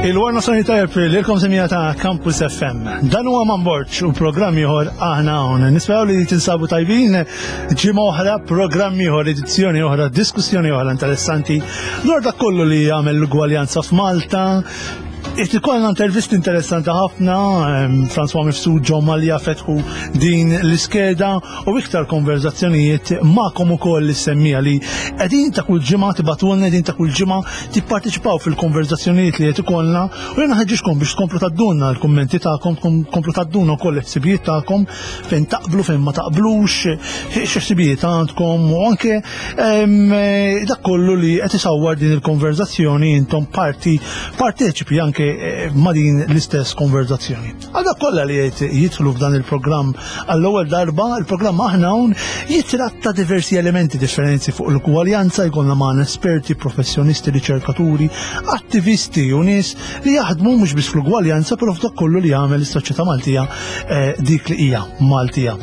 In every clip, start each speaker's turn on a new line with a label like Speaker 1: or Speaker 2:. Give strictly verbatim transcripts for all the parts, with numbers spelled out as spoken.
Speaker 1: Il-wara nofsinhar tajjeb lilkom, semmiegħa ta' Campus F M. Dan huwa Man Borg u programm ieħor Aħna Hawn. Nisperaw li tinsabu tajbin. Ġimgħa oħra, programm ieħor, edizzjoni oħra, diskussjoni oħra interessanti dwar dak kollu li jagħmel l-ugwaljanza f'Malta. Ikollna intervisti interessanti ħafna, em, François Mifsud, John Mallia fetħu din l-iskeda u iktar konverzazzjonijiet magħkom ukoll is-semmiegħa li qegħdin ta' kull ġimgħa tibagħtulna, qegħdin ta' kull ġimgħa tipparteċipaw fil-konverzazzjonijiet li qed ikollna u jiena ħeġġiġkom biex tkomplu tgħaddulna l-kummenti tagħkom, komplu tgħaddulna wkoll il-ħsibijiet tagħkom, fejn taqblu, fejn ma taqblux, x'ħsibijiet għandkom u anke em, dak kollu li qed isawwar din il-konverzazzjoni, intom parti parteċipi anke eh, ma' din l-istess konverzazzjoni. Għal dawk kollha li qed jidħlu f'dan il-programm għall-ewwel darba, il-programm Aħna Hawn jitratta diversi elementi differenti fuq l-ugwaljanza. Jkollna magħna esperti, professjonisti, riċerkaturi, attivisti u nies li jaħdmu mhux biss fl-ugwaljanza, però f'dak kollu li jagħmel is-soċjetà Maltija eh, dik li hija Maltija.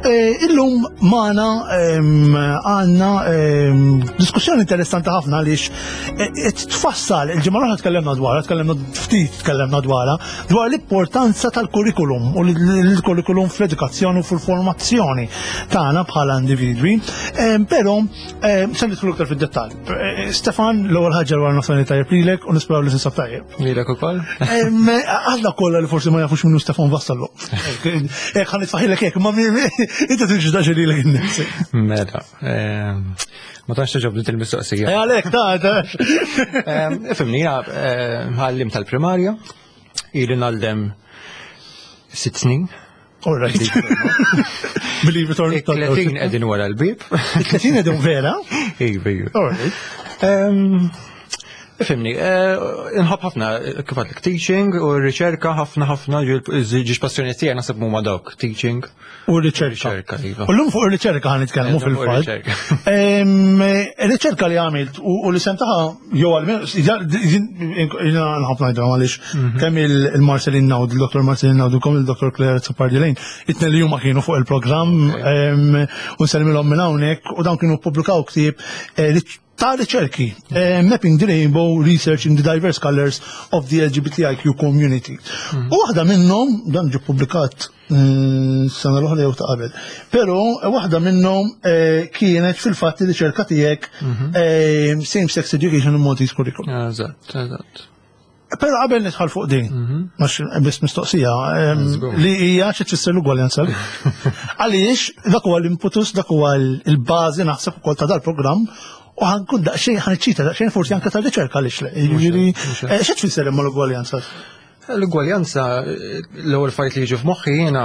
Speaker 1: Eh, Illum magħna em, għandna em, diskussjoni interessanti ħafna għaliex eh, qed tfassal il-ġimgħa l-oħra tkellimna dwarha, tkellimna ftit tkellimna dwarha, dwar l-importanza tal-kurrikulum u l-kurrikulum fl-edukazzjoni u fil-formazzjoni tagħna bħala individwi. Em, Però em, se nidħlu iktar fid-dettall. Eh, Stefan, l-ewwel ħaġa, wara nofsinhar tajjeb lilek u nisperaw li tinsab tajjeb.
Speaker 2: Lilek ukoll?
Speaker 1: Em, Għal kollha li forsi ma jafux min hu Stefan Vassallo. Ek ħa nitfagħhielek hekk, ma inti tiġdax lilek innifsek.
Speaker 2: Mela, ehm, ma tantx togħġobni il-mistoqsija.
Speaker 1: Eh, għalek, ta' ta'
Speaker 2: Ehm, Ifhimni, jiena għalliem tal-primarja, ili ngħallem sitt snin.
Speaker 1: All right. Believe it or not.
Speaker 2: Tletin qegħdin wara l-bib.
Speaker 1: Tletin qegħdin vera?
Speaker 2: Iva, iva.
Speaker 1: All right.
Speaker 2: Ehm, Ifhimni, eh, nħobb ħafna kif għedtlek teaching u r-riċerka ħafna ħafna, żewġ passjoni tiegħi naħseb huma dawk, teaching.
Speaker 1: U r-riċerka.
Speaker 2: Riċerka, iva.
Speaker 1: U l-lum fuq ir-riċerka ħa nitkellmu
Speaker 2: Eh, fuq
Speaker 1: fil-fatt.
Speaker 2: ir-riċerka.
Speaker 1: Em, Riċerka li għamilt u u li sentaħa jew għal jiena nħobb ngħidha għaliex
Speaker 2: Mhm.
Speaker 1: kemm il-Marcelin Naud, il-Dottor Marcelin Naud u kemm il-Dottor Claire Azzopardi Lane, it-tnejn li huma kienu fuq il-programm em, u nsellmilhom minn hawnhekk u dawn kienu ppubblikaw ktieb eh, li ta' riċerki, eh, Mapping the Rainbow: Research in the Diverse Colors of the L G B T I Q Community. U waħda minnhom, dan ġie ppubblikat mm, sena l-oħra jew ta' qabel, però eh, waħda minnhom eh, kienet fil-fatt riċerka tiegħek, eh, Same-Sex Education in Maltese Curriculum.
Speaker 2: Eżatt, eżatt.
Speaker 1: Però qabel nidħol fuq din, mhux biss mistoqsija, em,
Speaker 2: Żgur.
Speaker 1: li hija xi tfisser l-ugwaljanza. Għaliex dak huwa l-impetus, dak huwa l-bażi naħseb ukoll ta' dal-programm u ħa nkun daqsxejn ħa niċċita daqsxejn forsi anke ta' riċerka, għaliex le. Jiġifieri, eh, xi tfisser imma l-ugwaljanza?
Speaker 2: L-ugwaljanza, l-ewwel fajt li jiġu f'moħħi jiena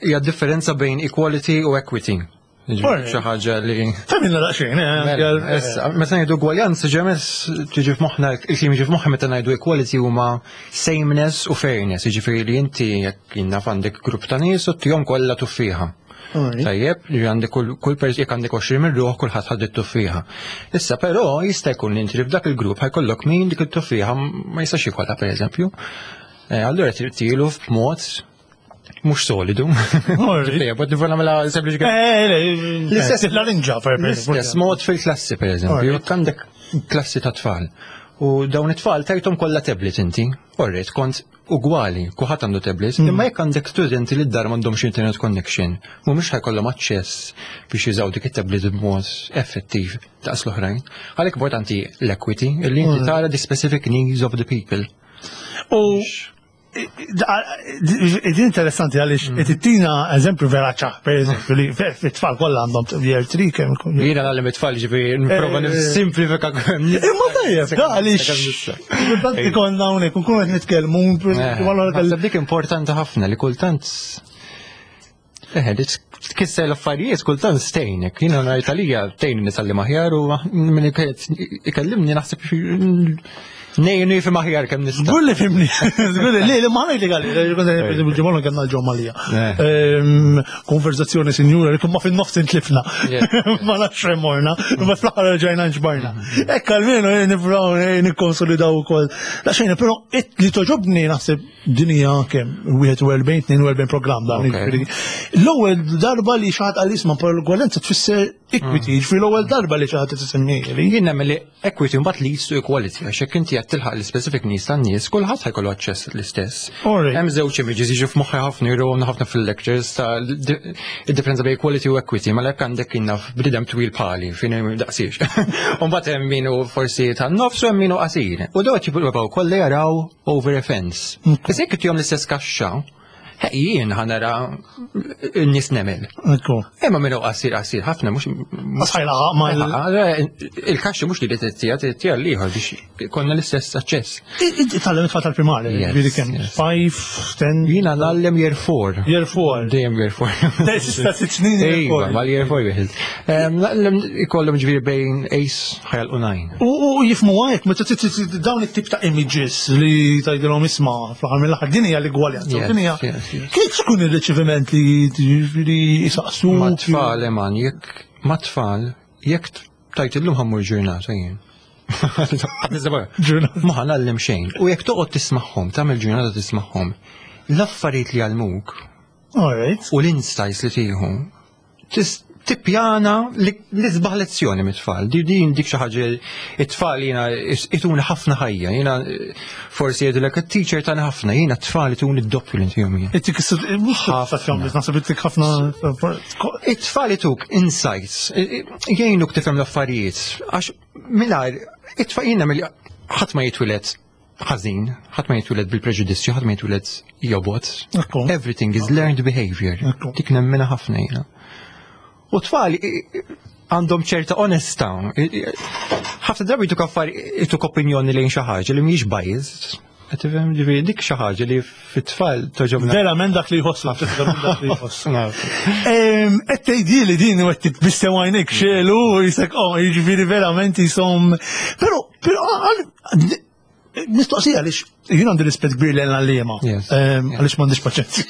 Speaker 2: hija differenza bejn equality u equity. Jiġifieri xi ħaġa li
Speaker 1: Fehmna daqsxejn, eh,
Speaker 2: Mela,
Speaker 1: eh,
Speaker 2: issa, meta ngħidu ugwaljanza, ġemes tiġi f'moħħna, il-kliem jiġi f'moħħna meta ngħidu equality huma sameness u fairness, jiġifieri li inti jekk jinnaf għandek grupp ta' nies u ttihom kollha tuffieħa.
Speaker 1: Alright.
Speaker 2: Tajjeb, li għandek kull kull pers jekk għandek għoxrin minn ruħ, kulħadd ħad it-tuffieħa. Issa però jista' jkun li inti f'dak il-grupp ħa jkollok min dik it-tuffieħa ma jistax jikolha, pereżempju. Eh, Allura trid tilu b'mod mhux solidu.
Speaker 1: Alright.
Speaker 2: Tajjeb, bad nifhem nagħmilha sempliċi.
Speaker 1: Eh, le,
Speaker 2: L-istess-
Speaker 1: l-larinġa, per
Speaker 2: L-istess mod fil-klassi, per eżempju,
Speaker 1: Alright.
Speaker 2: jekk għandek klassi ta' tfal. U dawn it-tfal tajthom kollha tablet inti. Alright, kont ugwali, kulħadd għandu tablet, imma jekk għandek studenti li d-dar m'għandhomx internet connection, mhumiex ħa jkollhom aċċess biex jużaw dik it-tablet b'mod effettiv daqs l-oħrajn. Għalhekk importanti l-equity, illi inti tara the specific needs of the people.
Speaker 1: U din interessanti għaliex qed ittina eżempju vera ċar, per eżempju, li fit-tfal kollha għandhom year three kemm ikun.
Speaker 2: Jiena ngħallem it-tfal, ġifieri nipprova
Speaker 1: Eh,
Speaker 2: nissimplifika.
Speaker 1: Imma tajjeb, da għaliex kultant ikollna hawnhekk nkunu qed nitkellmu.
Speaker 2: Naħseb dik importanti ħafna li kultant Eh, li tkisser l-affarijiet kultant stejnek. Jiena ngħid għalija tgħin nitgħallem aħjar u min ikellimni naħseb ngħinu jifhem aħjar kemm nista'.
Speaker 1: Żgur li fhimni, żgur li li ma ngħidli għalli, il-ġimgħa kellna l-ġomalija.
Speaker 2: Eh.
Speaker 1: Konverzazzjoni sinjura li ma fin-nofs intlifna. Ma nafx fejn morna, ma fl-aħħar rġajna nġbarna. Ekk almenu nifraw nikkonsolidaw ukoll. La xejn, però li togħġobni naħseb din hija kemm wieħed u erbgħin, tnejn u erbgħin programm dan.
Speaker 2: Ok.
Speaker 1: L-ewwel darba li xi ħadd qal, "Isma', però l-ugwaljanza tfisser Equity, ġifieri l-ewwel darba li xi ħadd tisemmieli.
Speaker 2: Jien nemmen li equity mbagħad leads to equality, għax jekk inti qed tilħaq l-specific needs tan-nies, kulħadd ħa jkollu aċċess l-istess.
Speaker 1: Alright.
Speaker 2: Hemm żewġ images jiġu f'moħħi ħafna, jiruna ħafna fil-lectures ta' id-differenza bejn equality u equity, ma lek għandek inna bniedem twil bħali, fejn daqsiex. U mbagħad hemm min hu forsi tan-nofs u hemm min hu qasir. U dawn jippruvaw kollha jaraw over a fence. Issa jekk ittihom l-istess kaxxa, jien ħa nara n-nies nemel.
Speaker 1: Ekku.
Speaker 2: Imma min hu qasir qasir ħafna mhux
Speaker 1: Sħajla ma
Speaker 2: il-kaxxa mhux li tittija tittija l-ieħor biex konna l-istess aċċess.
Speaker 1: Tgħallem it-tfal tal-primarja,
Speaker 2: Yes,
Speaker 1: ġifieri kemm?
Speaker 2: yes.
Speaker 1: Five, ten,
Speaker 2: Jiena ngħallem year four.
Speaker 1: year four.
Speaker 2: Dejjem year four.
Speaker 1: Sista sitt snin year
Speaker 2: Iva,
Speaker 1: four.
Speaker 2: mal-year four wieħed. Ngħallem ikollhom ġifieri bejn eight ħa jagħlqu nine.
Speaker 1: U u jifhmu għajk, meta t- t- t- dawn it-tip ta' images li tgħidilhom isma' fl-aħħar mill-aħħar din hija l-igwaljanza.
Speaker 2: Yes,
Speaker 1: Din hija
Speaker 2: yes, yes.
Speaker 1: Kif tkun il-riċeviment li ġifieri jisaqsu?
Speaker 2: Ma tfal, eman, jekk ma tfal, jekk tajt illum ħa mmur ġurnata jien.
Speaker 1: Ġurnata.
Speaker 2: Ma ħa ngħallem xejn. U jekk toqgħod tismagħhom, tagħmel ġurnata tismagħhom, l-affarijiet li jgħallmuk
Speaker 1: Alright.
Speaker 2: u l-insights li tieħu, tis- tippjana li l-isbaħ lezzjoni mit-tfal. Di din dik xi ħaġa it-tfal jiena ituni ħafna ħajja. Jiena eh, forsi jgħidulek it-teacher tagħna ħafna, jiena t-tfal ituni d-doppju li ntihom jien.
Speaker 1: Ittik mhux
Speaker 2: Ħafna.
Speaker 1: naħseb ittik ħafna.
Speaker 2: It-tfal ituk insights, i- i- jgħinuk tifhem l-affarijiet, għax mingħajr, it-tfal jiena mill ħadd ma jitwieled ħażin, ħadd ma jitwieled bil-preġudizzju, ħadd ma jitwieled jobgħod.
Speaker 1: Ekku.
Speaker 2: Everything is learned behavior.
Speaker 1: Ekku.
Speaker 2: Dik nemmina ħafna jiena. U tfal i- i- għandhom ċerta onestà. I- i- Ħafna drabi jtuk affari, jtuk opinjoni lejn xi ħaġa li mhijiex biased. Qed tifhem ġifieri dik xi ħaġa li fit-tfal togħġobna.
Speaker 1: Verament dak li jħossu, verament dak li jħossu.
Speaker 2: Naf.
Speaker 1: Qed tgħidili din u qed titbissem għajnek xelu u jisek, oh, jiġifieri verament jisom. Però, però, għal- mistoqsija għaliex jien għandi rispett kbir lejn l-għalliema.
Speaker 2: Yes.
Speaker 1: Għaliex m'għandix paċenzja.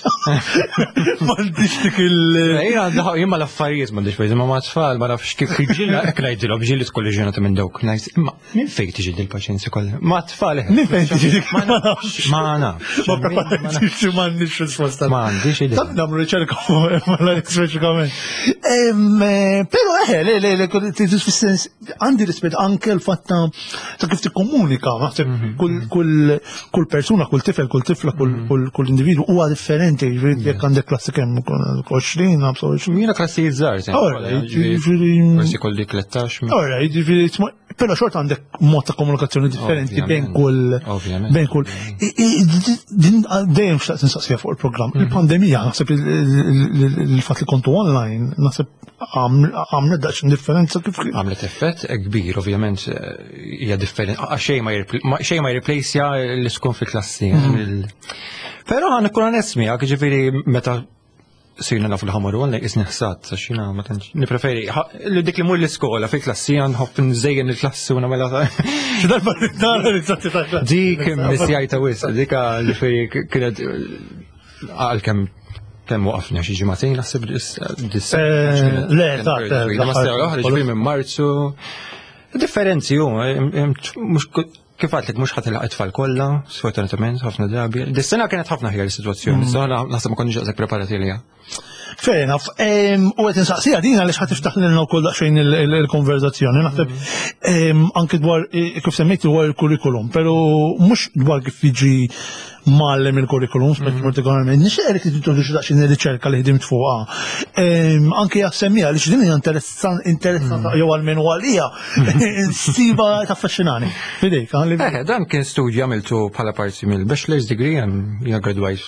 Speaker 1: M'għandix dik il-
Speaker 2: Jien għandha jien ma l-affarijiet m'għandix paċenzja, ma ma tfal ma nafx kif ġilla hekk ngħidilhom ġieli tkolli ġurnata minn dawk. Ngħid imma minn fejn tiġi din il-paċenzja kollha? Ma tfal eh.
Speaker 1: Minn fejn tiġi dik?
Speaker 2: Ma nafx. Ma nafx.
Speaker 1: Ma preparajtx m'għandix risposta.
Speaker 2: Ma għandix idea.
Speaker 1: Tab nagħmlu riċerka ma la speċifikament. Em, eh, Però eħe, le, le, le, fis-sens għandi rispett anke l-fatt ta' ta' kif tikkomunika, naħseb kull kull kull persuna, kull tifel, kull tifla, kull kull kull individu huwa differenti, ġifieri jekk għandek klassi kemm għoxrin, ħamsa u għoxrin.
Speaker 2: Jiena klassijiet żgħar.
Speaker 1: Alright, ġifieri
Speaker 2: Forsi kolli tlettax.
Speaker 1: Alright, ġifieri però xorta għandek mod ta' komunikazzjoni differenti bejn kull
Speaker 2: Ovvjament.
Speaker 1: bejn kull. I- i- Din dejjem xtaqt nsaqsija fuq il-programm. Il-pandemija, naħseb il- il- il- il-fatt li kontu online, naħseb għamlet daqsxejn differenza kif
Speaker 2: Għamlet effett kbir, ovvjament, eh, hija differenti. Xejn ma jirpl- ma- xejn ma jirreplaceja li tkun fil-klassi. Il- Però ħa nkun onest miegħek, ġifieri meta sirna nafu l-ħamaru għal isni ħsat, għax jiena ma tantx nippreferi ħa- li dik li mur l-iskola fil-klassi nħobb nżejjen il-klassi u nagħmilha
Speaker 1: Xi darba nara ritratti ta' klassi.
Speaker 2: Dik missjajta wisq, dik ġifieri kienet għal kemm kemm waqafna xi ġimagħtejn naħseb dis- dis-
Speaker 1: Eh, le, ta' ta'
Speaker 2: Ma l-oħra ġifieri minn Marzu. Differenzi hu, mhux kif għedtlek mhux ħa tilħaq it-tfal kollha, sfortunatament ħafna drabi. Dis-sena kienet ħafna ħjar is-sitwazzjoni, mm. naħseb ma konniex daqshekk preparati għaliha.
Speaker 1: Fair enough. Em, U qed insaqsija din għaliex ħa tiftaħ lilna wkoll daqsxejn il- il- il-konverzazzjoni. Naħseb em, anke dwar eh, kif semmejt dwar il-kurrikulum, però mhux dwar kif jiġi mgħallem il-kurrikulum, speċi partikolarment. Nixtieq li tintroduċi daqsxejn ir-riċerka li ħdimt fuqha. Em, Anke jassemmija għaliex din hija interessan interessanta jew għalmenu għalija. Siba taffaxxinani. Fidejk, għalli.
Speaker 2: Eh, dan kien studju għamiltu bħala parti mill-bachelor's degree, jiena graduajt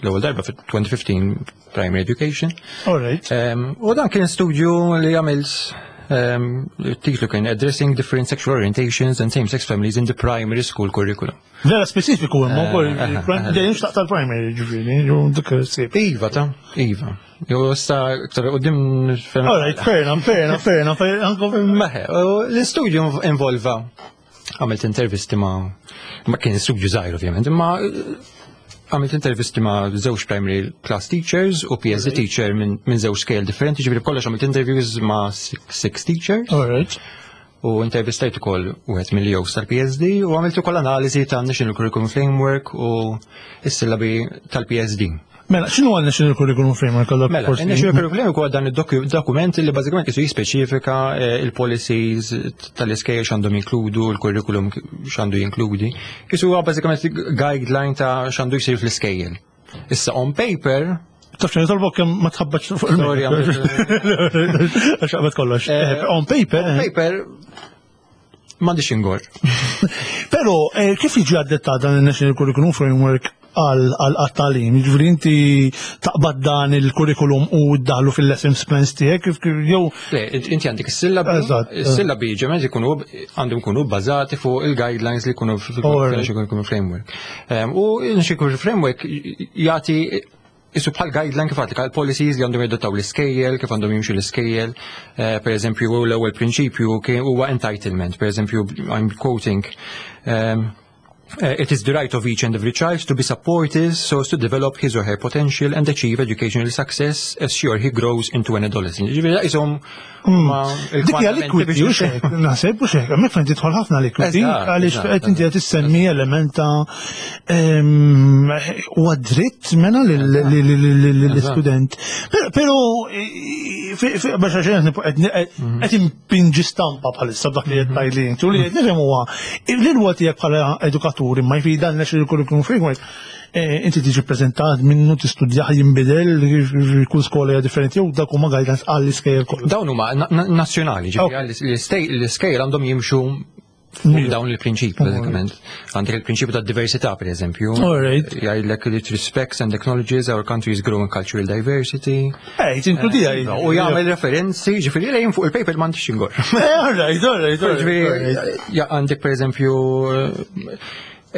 Speaker 2: l-ewwel darba fit-elfejn u ħmistax Primary Education.
Speaker 1: All right.
Speaker 2: Um, u dan kien studju li għamilt um, titlu kien Addressing Different Sexual Orientations and Same-Sex Families in the Primary School Curriculum.
Speaker 1: Vera speċifiku imma wkoll
Speaker 2: eh, eh,
Speaker 1: dejjem xtaqt tal-primary ġifieri, jew dik il-sib.
Speaker 2: Iva ta' Iva. Jo issa iktar qudiem
Speaker 1: All right, fair enough, fair enough, fair enough. fair enough.
Speaker 2: Meħe, u l-istudju involva għamilt intervisti ma' ma kien studju żgħir ovvjament, imma eh, għamilt intervisti ma' żewġ primary class teachers u P S D teacher minn min żewġ scale differenti, ġifieri b'kollox għamilt interviews ma' six, six teachers
Speaker 1: All right.
Speaker 2: u intervistajt ukoll wieħed mill-E Os tal-P S D u għamilt ukoll analiżi ta' National Curriculum Framework u s-sillabi tal-P S D.
Speaker 1: Mela, x'inhu għal National Curriculum Framework għal
Speaker 2: Mela, il-National Curriculum Framework huwa dan id-dokument li bażikament qisu jispeċifika eh, il-policies tal-iskejjel x'għandhom jinkludu, il-curriculum x'għandu jinkludi. Qisu huwa bażikament guideline ta' x'għandu jsir fl-iskejjel. Issa on paper
Speaker 1: Taf xejn tolbok kemm ma tħabbatx fuq
Speaker 2: Sorry,
Speaker 1: il- Għax qabad kollox.
Speaker 2: Eh,
Speaker 1: Eh, On paper,
Speaker 2: on
Speaker 1: eh.
Speaker 2: paper m'għandix ingor.
Speaker 1: Però eh, kif jiġi adattat dan il-National Curriculum Framework għal għat-tagħlim? Jiġifieri inti taqbad dan il-curriculum u ddaħlu fil-lessons plans tiegħek kif kif jew
Speaker 2: Le, inti għandek is-sillabi,
Speaker 1: Eżatt.
Speaker 2: is-sillabi ġemet ikunu għandhom ikunu bbażati fuq il-guidelines li jkunu fil-National Curriculum Framework. Em, U il-National Curriculum Framework jagħti qisu bħal guideline kif għatlek policies li għandhom jadottaw l-iskejjel, kif għandhom jimxu l-iskejjel. Eh, Per eżempju, l-ewwel prinċipju kien huwa entitlement. Per eżempju, I'm quoting, um, Uh, it is the right of each and every child to be supported so as to develop his or her potential and achieve educational success as she or he grows into an adolescent. Ġifieri, qishom ma
Speaker 1: Dik hija l-equity u xek, naħseb u xek, hemmhekk fejn tidħol ħafna l-equity,
Speaker 2: Eżatt,
Speaker 1: għaliex
Speaker 2: eżatt,
Speaker 1: qed inti qed issemmi element ta' ehm, huwa dritt mena lill-istudent. Però biex għaxen qed impinġi stampa bħalissa b'dak li qed tgħidli inti u li qed nifhem huwa l-irwol tiegħek bħala edukatur imma jfi dan National Curriculum Framework eh, inti tiġi prezentat minnu tistudjah jinbidel kull skola hija differenti jew dak huma guidelines għall-iskejjel kollha.
Speaker 2: Dawn huma na- na- nazzjonali, ġifieri l-iskejjel għandhom jimxu fuq dawn il-prinċipi, bażikament. Għandek il-prinċipju ta' diversità, per eżempju.
Speaker 1: Alright.
Speaker 2: Jgħidlek li it respects and acknowledges our country's growing cultural diversity.
Speaker 1: Ej, tinkludija.
Speaker 2: U jagħmel referenzi, ġifieri lejn fuq il-paper m'għandix ingor.
Speaker 1: Eh, Alright, alright, alright.
Speaker 2: Ġifieri, ja, għandek per eżempju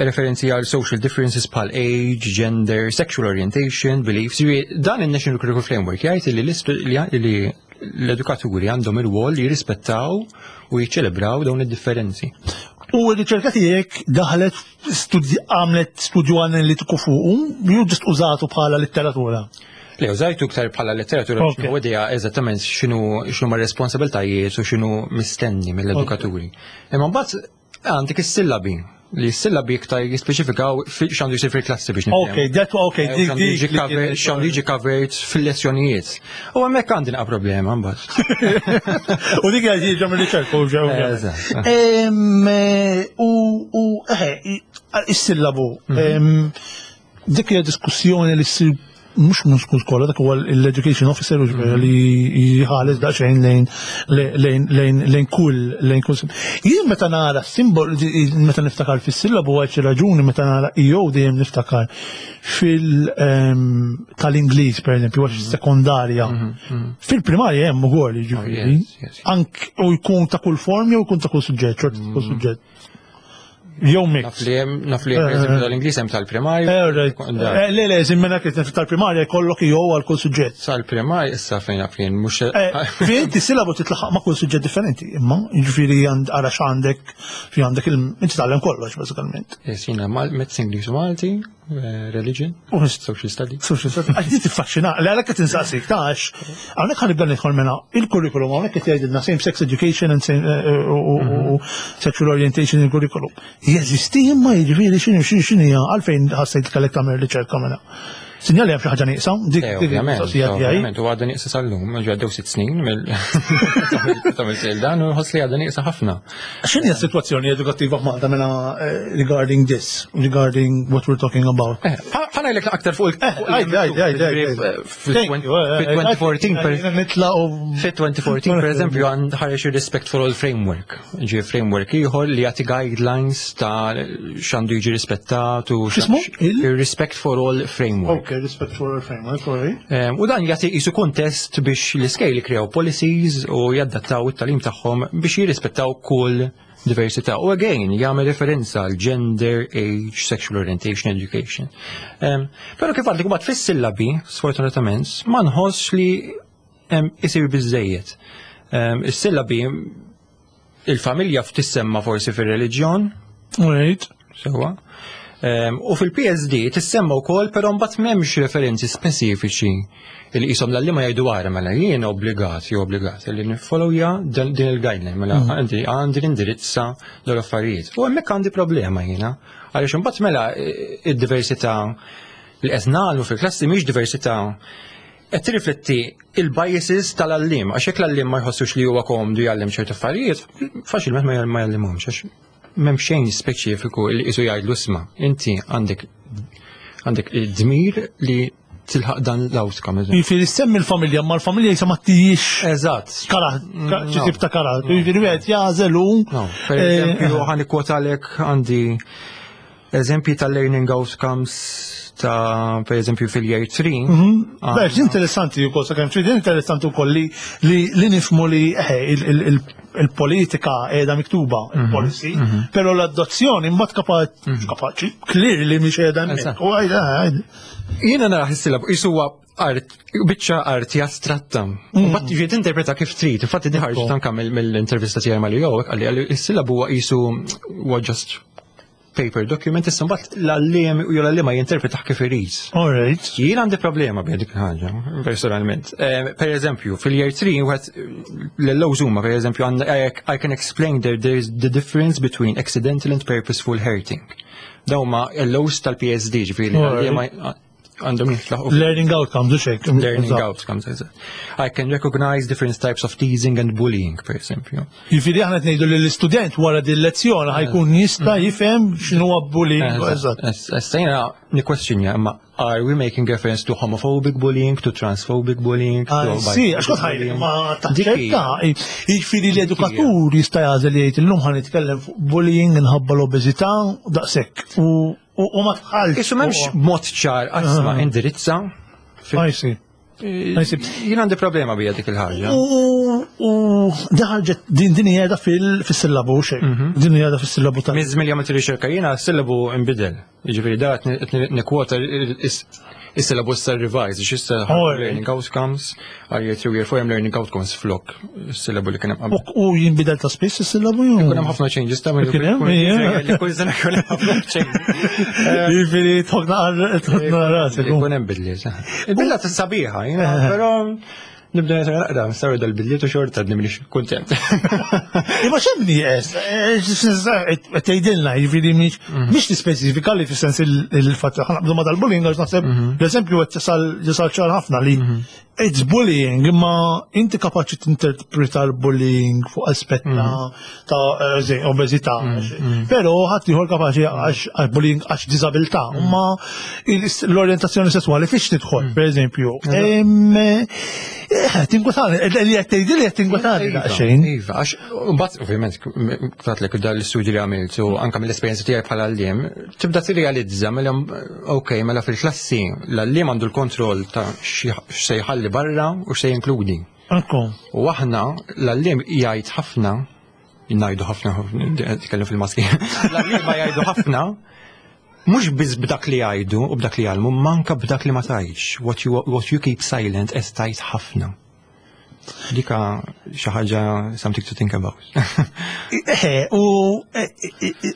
Speaker 2: referenzi għal social differences bħal age, gender, sexual orientation, beliefs. Ġifieri, dan il-National Curriculum Framework jgħid li l-istu- li li l-edukaturi għandhom ir-rwol li jirrispettaw u jiċċelebraw dawn id-differenzi.
Speaker 1: U r-riċerka tiegħek daħlet studi għamlet studju analitiku fuq, jew just użatu bħala letteratura.
Speaker 2: Le, użajtu iktar bħala letteratura biex
Speaker 1: Ok.
Speaker 2: nieħu idea eżattament x'inhu x'inhu ma responsabiltajiet u x'inhu mistenni mill-edukaturi. Imma mbagħad għandek is-sillabi li s-sillabi iktar jispeċifikaw fi- x'għandu jsir fil-klassi biex nifhem.
Speaker 1: Ok, that ok,
Speaker 2: Eh,
Speaker 1: dik
Speaker 2: x'għandu jiġi
Speaker 1: dik.
Speaker 2: covered- x'għandu jiġi covered fil-lezzjonijiet. U hemmhekk għandi naqa' problema mbagħad.
Speaker 1: U dik għad jiġu mill-riċerka u ġew.
Speaker 2: Eżatt.
Speaker 1: Em, eh, U, u, eħe, is-sillabu. em, Dik hija diskussjoni li ssir mhux mhux kull skola, dak huwa l-education officer u ġifieri li jħares daqsxejn lejn lejn lejn lejn kull lejn kull. Jien meta nara simbol meta niftakar fis-sillabu għal xi raġuni meta nara E O dejjem niftakar fil em, tal-Ingliż pereżempju għax sekondarja. Fil-primarja hemm ukoll jiġifieri.
Speaker 2: yes, yes.
Speaker 1: Ank u jkun ta' kull form jew jkun ta' kull suġġett, xorta ta' kull suġġett. Jew mix.
Speaker 2: Naf li hemm naf li hemm pereżempju tal-Ingliż hemm tal-primarju.
Speaker 1: Eh, right. Eh, Le, le, zimmena kif tal-primarja jkollok jew għal kull suġġett.
Speaker 2: Sal-primarju issa fejn naf jien mhux
Speaker 1: Eh, Fi inti sillabu titlaħaq ma' kull suġġett differenti, imma jiġifieri għand ara x'għandek fi għandek il inti tgħallem kollox bażikament.
Speaker 2: Yes, jiena Mal- Maths English u Malti, eh, Religion,
Speaker 1: U
Speaker 2: Social Studies.
Speaker 1: Social studies. Għax di tiffaxxina, li għalhekk qed insaqsik tax, hawnhekk ħa nibda nidħol mena il-curriculum hawnhekk qed jgħidilna same sex education and same eh, eh, u- u u sexual orientation il-curriculum. Jeżisti imma jiġifieri x'inhu x'inhu x'inhu hija għalfejn ħassejt kellek tagħmel riċerka mela. Sinjali hemm xi ħaġa nieqsa, dik
Speaker 2: Eh,
Speaker 1: dik
Speaker 2: ovvjament,
Speaker 1: il-mistoqsija tiegħi.
Speaker 2: ovvjament, u għadha nieqsa sal-lum, ġu għaddew sitt snin mill ta' dan u nħoss li għadha nieqsa ħafna.
Speaker 1: X'inhi s-sitwazzjoni edukattiva f'Malta mela eh, regarding this, regarding what we're talking about?
Speaker 2: Eh, ħa ngħidlek aktar fuq il-
Speaker 1: Eh,
Speaker 2: fuq
Speaker 1: għajd, għajd, għajd, għajd.
Speaker 2: Fil-elfejn u erbatax per
Speaker 1: Nitla u.
Speaker 2: Fit-elfejn u erbatax per eżempju għand ħareġ il-Respect for All Framework. Ġi framework ieħor li jagħti guidelines ta' x'għandu jiġi rispettat u
Speaker 1: X'ismu? Il?
Speaker 2: Il-Respect for All Framework.
Speaker 1: Ok, Respect for All Framework, sorry.
Speaker 2: Em, U dan jagħti qisu kontest biex l-iskejjel jikrew policies u jaddattaw it-tagħlim tagħhom biex jirrispettaw kull diversità. U again, jagħmel referenza għal gender, age, sexual orientation, education. Um, Però kif għadlek mbagħad fis-sillabi, sfortunatament, ma nħossx li em, isir biżejjed. Um, Is-sillabi il-familja tissemma forsi fir-reliġjon,
Speaker 1: Right.
Speaker 2: Sewa. Um, u fil-P S D tissemma wkoll, però mbagħad m'hemmx referenzi speċifiċi li qishom l-għalliema jgħidu għara mela jien obbligat jew obbligat li niffollowja din din il-guideline mela għandi għandi nindirizza dawn l-affarijiet. U hemmhekk għandi problema jiena għaliex imbagħad mela eh, id-diversità li qed nagħmlu fil-klassi mhix diversità, qed tirrifletti il-biases tal-għalliem, għax jekk l-għalliem ma jħossux li huwa komdu jgħallem ċerti affarijiet, faċilment ma jgħallimhomx, għax m'hemm xejn speċifiku li qisu jgħidlu, "Isma', inti għandek għandek id-dmir li tilħaq dan l-outcome."
Speaker 1: Jiġifieri semmi l-familja, ma l-familja jisa ma tijiex.
Speaker 2: Eżatt.
Speaker 1: Kara, xi tip ta' kara. Jiġifieri wieħed jagħżel u.
Speaker 2: Per eżempju, ħa nikkwotalek, għandi eżempji ta' learning outcomes ta' per eżempju fil-year three.
Speaker 1: Beh, interessanti wkoll, sakemm trid, interessanti wkoll li li nifhmu li il-politika qiegħda miktuba, il-policy, però l-adozzjoni mbagħad kapaċi, kapaċi, clearly mhix qiegħda hemmhekk. U għajda,
Speaker 2: Jiena nara is-syllabus qisu huwa art, biċċa arti astratta. U mbagħad tiġi tinterpreta kif trid. Infatti di ħarġet anke mill-intervista tiegħi mal-E O, qalli qalli is-sillabu huwa qisu huwa just paper document, issa mbagħad l-għalliem u l-għalliema jinterpreta kif irid.
Speaker 1: All right.
Speaker 2: Jien għandi problema bi dik il-ħaġa, personalment. Eh, Per eżempju, fil-year three, wieħed l-L Os huma, per eżempju, għandna, I, I can explain there, there is the difference between accidental and purposeful hurting. Dawn huma L Os tal-P S D, ġifieri l-għalliema għandhom jitlaħqu.
Speaker 1: Learning outcomes, u xek.
Speaker 2: Learning outcomes, eżatt. I can recognize different types of teasing and bullying, per eżempju.
Speaker 1: Jiġifieri aħna qed ngħidu li l-istudent wara din lezzjoni ħa jkun jista' jifhem x'inhu bullying. Eżatt.
Speaker 2: Issa jiena nikkwestjonja, imma are we making reference to homophobic bullying, to transphobic bullying? To
Speaker 1: Sì, għax kont ħajli, ma taċċetta. Jiġifieri l-edukatur jista' jagħżel, jgħid, "Illum ħa nitkellem fuq bullying minħabba l-obeżità", daqshekk. U u ma tħallx.
Speaker 2: Qisu m'hemmx mod ċar, isma', indirizza.
Speaker 1: I see.
Speaker 2: Jien għandi problema bija dik il-ħaġa.
Speaker 1: U daħġet din din qiegħda fil-sillabu xejn. Din qiegħda fis-sillabu ta'
Speaker 2: Miż milja ma riċerka jiena, s-sillabu imbidel. Jiġifieri da qed nikkwota is-syllabus sa revised, issa learning outcomes, għal year three, year four hemm learning outcomes flok is-sillabu li kien hemm
Speaker 1: qabel. U jinbidel ta' spiss is-sillabu?
Speaker 2: Ikun hemm ħafna changes ta'
Speaker 1: minn
Speaker 2: kull sena jkun hemm ħafna changes.
Speaker 1: Jiġifieri tħokna rasek.
Speaker 2: Ikun hemm bidliet. Il-bidla sabiħa, però nibda naqra, saru dal-bidliet u xorta għadni m'iniex kuntent.
Speaker 1: Imma x'hemm nieqes? Tgħidilna, jiġifieri mhix tispeċifika li fis-sens il-fatt ħa naqbdu ma dal-bullying, għax naħseb l-eżempju qed jasal ċar ħafna li it's bullying, imma inti kapaċi tinterpreta l-bullying fuq aspett ta' obeżità. Però ħadd ieħor kapaċi għax bullying għax diżabilità, imma l-orjentazzjoni sesswali fiex tidħol, per eżempju. Tinkwetani, li qed tgħidli qed tinkwetani daqsxejn.
Speaker 2: Iva, għax mbagħad ovvjament ktatlek dal l-istudji li għamilt u anke mill-esperjenza tiegħi bħala għalliem, tibda tirrealizza mela ok, mela fil-klassi l-għalliem għandu l-kontroll ta' x'se jħalli barra u x'se jinkludi. U aħna l-għalliem jgħid ħafna, ngħidu ħafna, tkellem fil-maski, l-għalliema jgħidu ħafna, mhux biss b'dak li jgħidu u b'dak li jgħallmu, manka b'dak li ma tgħidx. What you, what you keep silent qed tgħid ħafna. Dika xi ħaġa, something to think about.
Speaker 1: Eħe, u eh, eh, eh,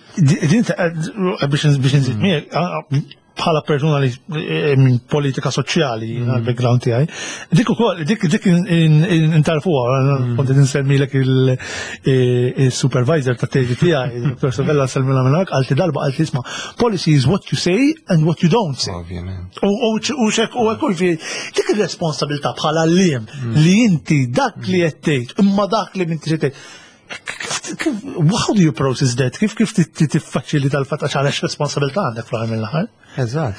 Speaker 1: din ta- biex biex nżid miegħek, bħala persuna li eh, minn politika soċjali għal background tiegħi, dik ukoll dik dik intarfuha, kont qed insemmilek il-supervisor ta' teżi tiegħi, Dottor Savella semmila minn għalti darba, għalti, "Isma', policy is what you say and what you don't say."
Speaker 2: Ovvjament.
Speaker 1: U u u xek u għekul fi dik il-responsabilità bħala għalliem li inti dak li qed tgħid imma dak li m'intix tgħid. Kif, kif, how do you process that? Kif kif tiffaċilita l-fatt, għax għalax responsabilità għandek fl-aħħar mill-aħħar?
Speaker 2: Eżatt.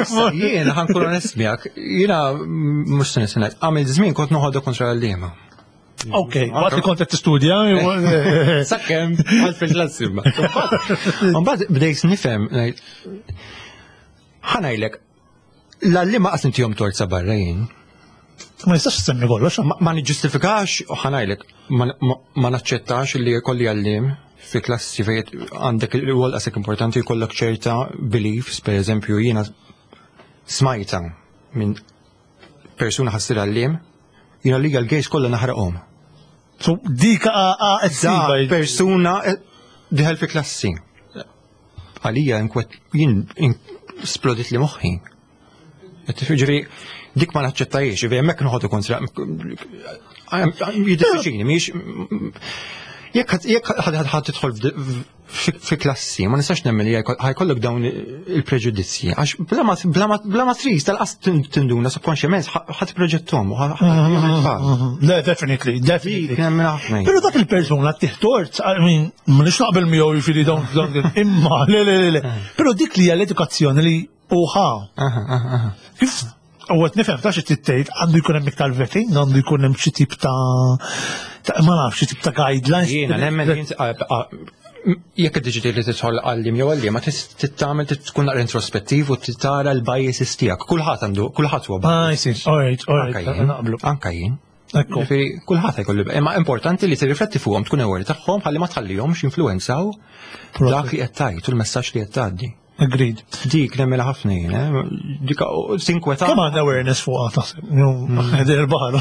Speaker 2: Issa, jiena ħa nkun onest miegħek, jiena mhux se nisenet, għamil żmien kont noħodha kontra l-għalliema.
Speaker 1: Ok, waqt li kont qed tistudja.
Speaker 2: Sakemm għal fil-klassi. Mbagħad bdejt nifhem, ngħid, ħa ngħidlek, l-għalliema qas intihom tort sa barra jien.
Speaker 1: Ma nistax semmi kollox.
Speaker 2: Ma ma niġġustifikax u ħa ngħidlek, ma, ma, ma naċċettax li jkolli għalliem fi klassi fejn għandek il-rwol qasek importanti jkollok ċerta beliefs, per eżempju jiena smajta minn persuna ħa ssir għalliem, "Jiena li l-gays kollha naħraqhom."
Speaker 1: So dik
Speaker 2: Da persuna eh, diħel fi klassi. Għalija inkwet, jien in- splodit li moħħi. Ġifieri, dik ma naċċettajiex, ġifieri hemmhekk noħodu kontra. Jiddispjaċini, mhix. Jekk jekk ħa tidħol fi klassi, ma nistax nemmen li ħa jkollok dawn il-preġudizzji, għax bla ma trid tal-qas tinduna subconsciousment ħa tipproġettom.
Speaker 1: Le, definitely, definitely. Pero dak il-persuna tih tort, I mean, ma nix naqbel miegħu, jiġifieri dawn imma, le, le, le, le. Pero dik li hija l-edukazzjoni li uħa. Kif U għet nifhem ta' xi tgħid, għandu jkun hemm iktar vetting, għandu jkun hemm xi tip ta' ma nafx, xi tip ta' guidelines.
Speaker 2: Jiena nemmen jekk id-diġiti li tidħol għallim jew għallim, ma tittamel tkun naqra introspettiv u tara l-biases tiegħek. Kulħadd għandu, kulħadd huwa
Speaker 1: bias. Ah, see. All right, all right.
Speaker 2: Naqblu. Anka jien. Ġifieri kulħadd jkollu, imma importanti li tirrifletti fuqhom, tkun aware tagħhom ħalli ma tħallihomx influenzaw dak li qed tgħid u l-messaġġ li qed tgħaddi.
Speaker 1: Agreed.
Speaker 2: Dik nemmela ħafna jien, eh? Dik tinkweta.
Speaker 1: Kemm għandna awareness fuqha taħseb? Il-baħar.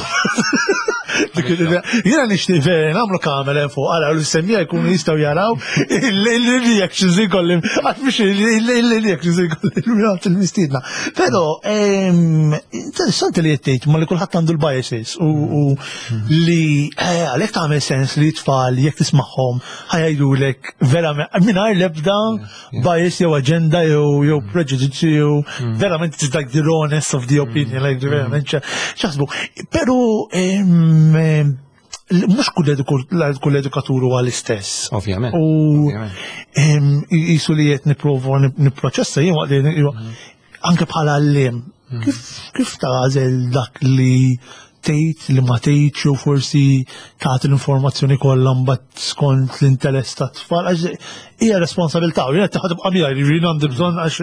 Speaker 1: Jiena nixtieq vera nagħmlu kamera fuq għala u l-semmija jkunu jistgħu jaraw il-reactions ikollim, għax mhux il-reactions ikollim il-mistiedna. Però interessanti li qed ma li kulħadd għandu l-biases u li eh, għalhekk tagħmel sens li tfal jekk tismagħhom ħa jgħidulek verament mingħajr l-ebda bias jew agenda jew jew prejudice jew verament it's like the rawness of the opinion, like verament x'jaħsbu. Però mhux kull edukatur huwa l-istess.
Speaker 2: Ovvjament.
Speaker 1: U jisu li qed nipprova nipproċessa jien waqt li anke bħala għalliem. Kif kif tagħżel dak li tgħid, li ma tgħidx, jew forsi tagħti l-informazzjoni kollha mbagħad skont l-interess tat-tfal, għax hija responsabilità u jiena tibqa' miegħi, jiġifieri għandi bżonn, għax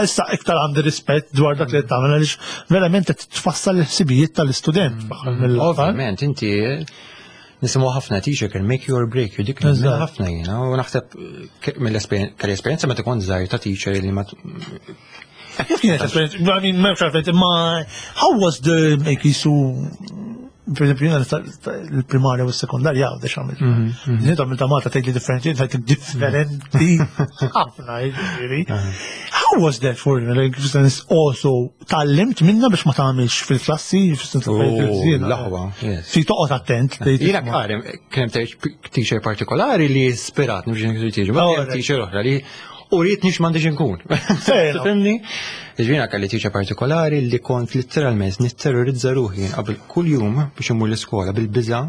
Speaker 1: issa iktar għandi rispett dwar dak li qed tagħmel, għaliex verament qed tfassal il-ħsibijiet tal-istudent.
Speaker 2: Ovvjament, inti nisimgħu ħafna "teacher can make you or break you", dik ħafna jiena u naħseb mill-esperjenza esperjenza meta kont żgħir ta' teacher li ma
Speaker 1: Kif kienet esperienza? I mean, m'hemmx għalfejn, imma how was the make jisu, per esempio, jiena l-primarja u s-sekondarja għawdex għamilt. Jien għamilt ta' Malta, tgħid li differenti, tgħid differenti ħafna, jiġifieri. How was that for you? Like, fis-sens, also tgħallimt minna biex ma tagħmilx fil-klassi, fis-sens
Speaker 2: L-aħwa, yes.
Speaker 1: Fi toqgħod attent. Tgħid
Speaker 2: Jiena karen, kien hemm teacher partikolari li ispirat biex nkun teacher, ma
Speaker 1: Oh,
Speaker 2: kien
Speaker 1: right.
Speaker 2: teacher oħra li u rrid nix m'għandix inkun.
Speaker 1: Fair enough.
Speaker 2: Tifhimni? Ġifieri kelli teacher partikolari li kont literalment nitterrorizza ruħi qabel kull jum biex immur l-iskola bil-biża'.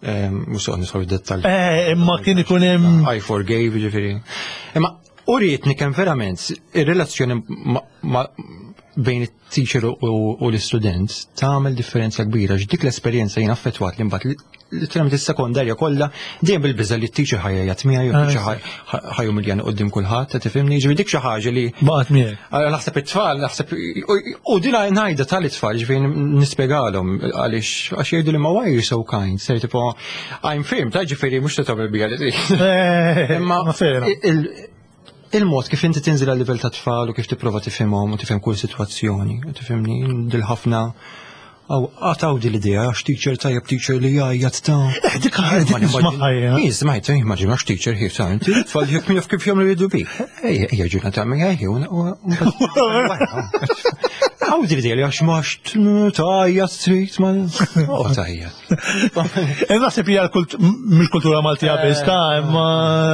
Speaker 2: Mhux soqgħod nidħol fid-dettall.
Speaker 1: Eh, imma kien ikun hemm
Speaker 2: I forgave, ġifieri. Imma urietni kemm verament ir-relazzjoni ma- ma- bejn it-teacher u u l-istudent tagħmel differenza kbira, dik l-esperjenza jien affettwat li mbagħad literalment is-sekondarja kollha dejjem bil-biża' li t-teacher ħa jgħajjat miegħi jew t-teacher ħa jumiljani quddiem kulħadd, tifhimni? Ġifieri dik xi ħaġa li
Speaker 1: baqgħet miegħek.
Speaker 2: Għal naħseb it-tfal, naħseb, u dina ngħidha tal-itfal, ġifieri nispjegalhom għaliex għax jgħidu li ma "Why are you so kind?" Ser tipo, I'm firm, ta' ġifieri mhux ta' tagħmel bija li trid.
Speaker 1: Eh,
Speaker 2: Imma
Speaker 1: ma fair enough.
Speaker 2: il- il-mod kif inti tinżel għal livell ta' tfal u kif tipprova tifhimhom u tifhem kull sitwazzjoni, u tifhimni dil ħafna Aw, għataw di l-idea, għax teacher tajjeb teacher li jgħajjat ta'
Speaker 1: Eh, dik dik nismaħħa jiena.
Speaker 2: Jien smajt, immaġin għax teacher ħif ta' inti, tfal jek jaf kif jagħmlu jridu bi. Ejja, ejja ġurnata tagħmel ejja, u Għaw di l-idea li għax max tajjat trid ma. Oh, tajjat.
Speaker 1: Eh, naħseb hija l-kult- mhix kultura Maltija biss ta' imma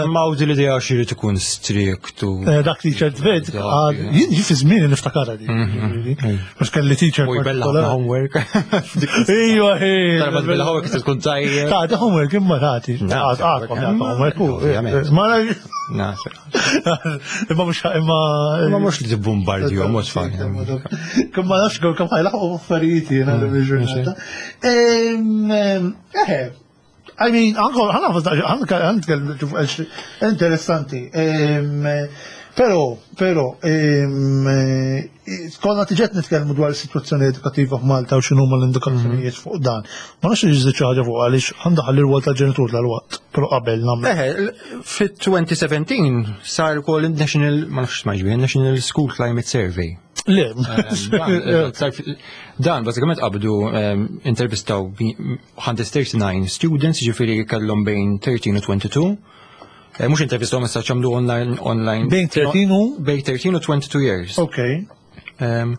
Speaker 2: Ma għaw di l-idea għax irid ikun strict u.
Speaker 1: eh, dak teacher trid, jien ġi fi żmien niftakarha di. Mhux kelli teacher
Speaker 2: U jbella ħafna homework.
Speaker 1: Ejwa, ej.
Speaker 2: Darba tbella homework tkun tajjeb.
Speaker 1: Ta' di homework imma tagħti.
Speaker 2: Na,
Speaker 1: Għadkom homework.
Speaker 2: Ovvjament.
Speaker 1: Ma
Speaker 2: Naf.
Speaker 1: imma mhux imma
Speaker 2: Ma mhux li tibbombardju, mhux tfal.
Speaker 1: Kemm ma nafx kemm ħa jlaħħqu affarijiet jiena l ġurnata. Eħe, I mean, anko, ħana ħana interessanti. Pero, pero, konna tiġet nitkellmu dwar is-sitwazzjoni edukattiva f'Malta u x'inhuma l-indikazzjonijiet fuq dan. Ma nafx iżid xi ħaġa fuq għaliex għandha ħalli r-rwol tal-ġenitur tal-waqt, però qabel nagħmlu.
Speaker 2: Eħe, fit-elfejn u sbatax sar ukoll National, ma nafx smajx bih, National School Climate Survey.
Speaker 1: Le.
Speaker 2: Dan, sar fi- Dan, bażikament qabdu em, intervistaw mija u disgħa u tletin students, ġifieri kellhom bejn tlettax u tnejn u għoxrin. Eh, Mhux intervistaw, ma għamlu online online.
Speaker 1: Bejn tlettax u?
Speaker 2: Bejn tlettax u tnejn u għoxrin years.
Speaker 1: Ok.
Speaker 2: Um,